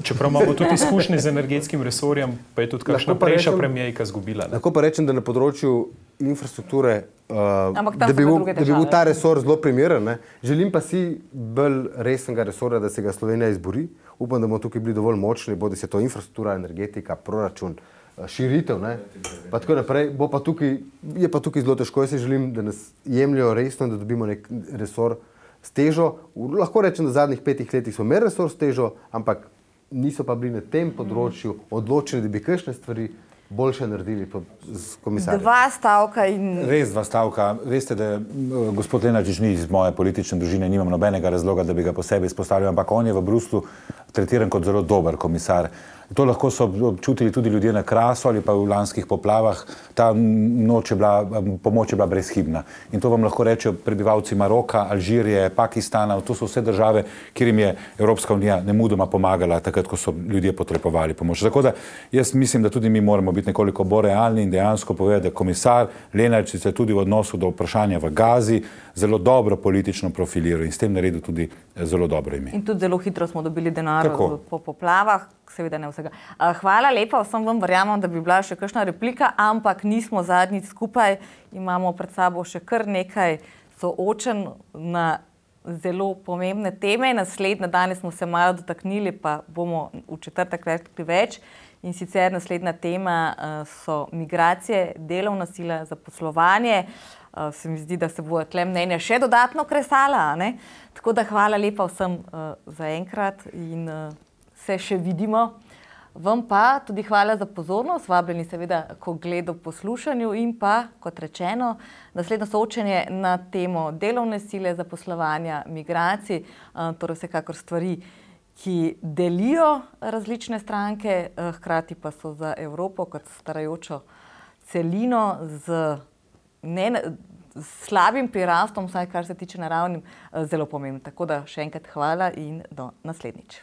Čeprav imamo tudi izkušnje z energetskim resorjem, pa je tudi kakšna prejšnja premierka izgubila. Lahko pa rečem, da na področju infrastrukture, da bi bil ta resor zelo primeren. Želim pa si bolj resnega resorja, da se ga Slovenija izbori. Upam, da bomo tukaj bili dovolj močni, bodi se to infrastruktura, energetika, proračun, širitev, pa tako naprej, je pa tukaj zelo težko. Jaz si želim, da nas jemljajo resno, da dobimo nek resor s težo. Lahko rečem, da v zadnjih 5 letih smo imeli resor s težo, ampak niso pa bili na tem področju odločeni, da bi kakšne stvari boljše naredili z komisarjem. 2 stavka in... Res 2 stavka. Veste, da gospod Lenarčič ni iz moje politične družine, nimam nobenega razloga, da bi ga posebej izpostavil, ampak on je v Bruslu tretiran kot zelo dober komisar. To lahko so občutili tudi ljudje na Krasu ali pa v lanskih poplavah. Ta pomoč je bila brezhibna. In to vam lahko rečejo prebivalci Maroka, Alžirije, Pakistana. To so vse države, kjer jim je Evropska unija nemudoma pomagala, takrat, ko so ljudje potrebovali pomoč. Tako da jaz mislim, da tudi mi moramo biti nekoliko bolj realni in dejansko povedati, da komisar Lenarčič se tudi v odnosu do vprašanja v Gazi zelo dobro politično profiliral in s tem naredil tudi zelo dobro ime. In tudi zelo hitro smo dobili denar po poplavah. Seveda ne vsega. Hvala lepa, vsem vam verjamem, da bi bila še kakšna replika, ampak nismo zadnjič skupaj, imamo pred sabo še kar nekaj soočen na zelo pomembne teme. Naslednje danes smo se malo dotaknili, pa bomo v četrtek rekli več. In sicer naslednja tema so migracije, delovna sila, zaposlovanje. Se mi zdi, da se bojo tle mnenja še dodatno kresala. Tako da hvala lepa vsem za enkrat in se še vidimo. Vam pa tudi hvala za pozornost, vabljeni seveda k ogledu, poslušanju in pa, kot rečeno, naslednjo soočenje na temo delovne sile, zaposlovanja, migracij, torej vsekakor stvari, ki delijo različne stranke, hkrati pa so za Evropo kot starajočo celino z slabim prirastom, vsaj kar se tiče naravnim, zelo pomembno. Tako da še enkrat hvala in do naslednjič.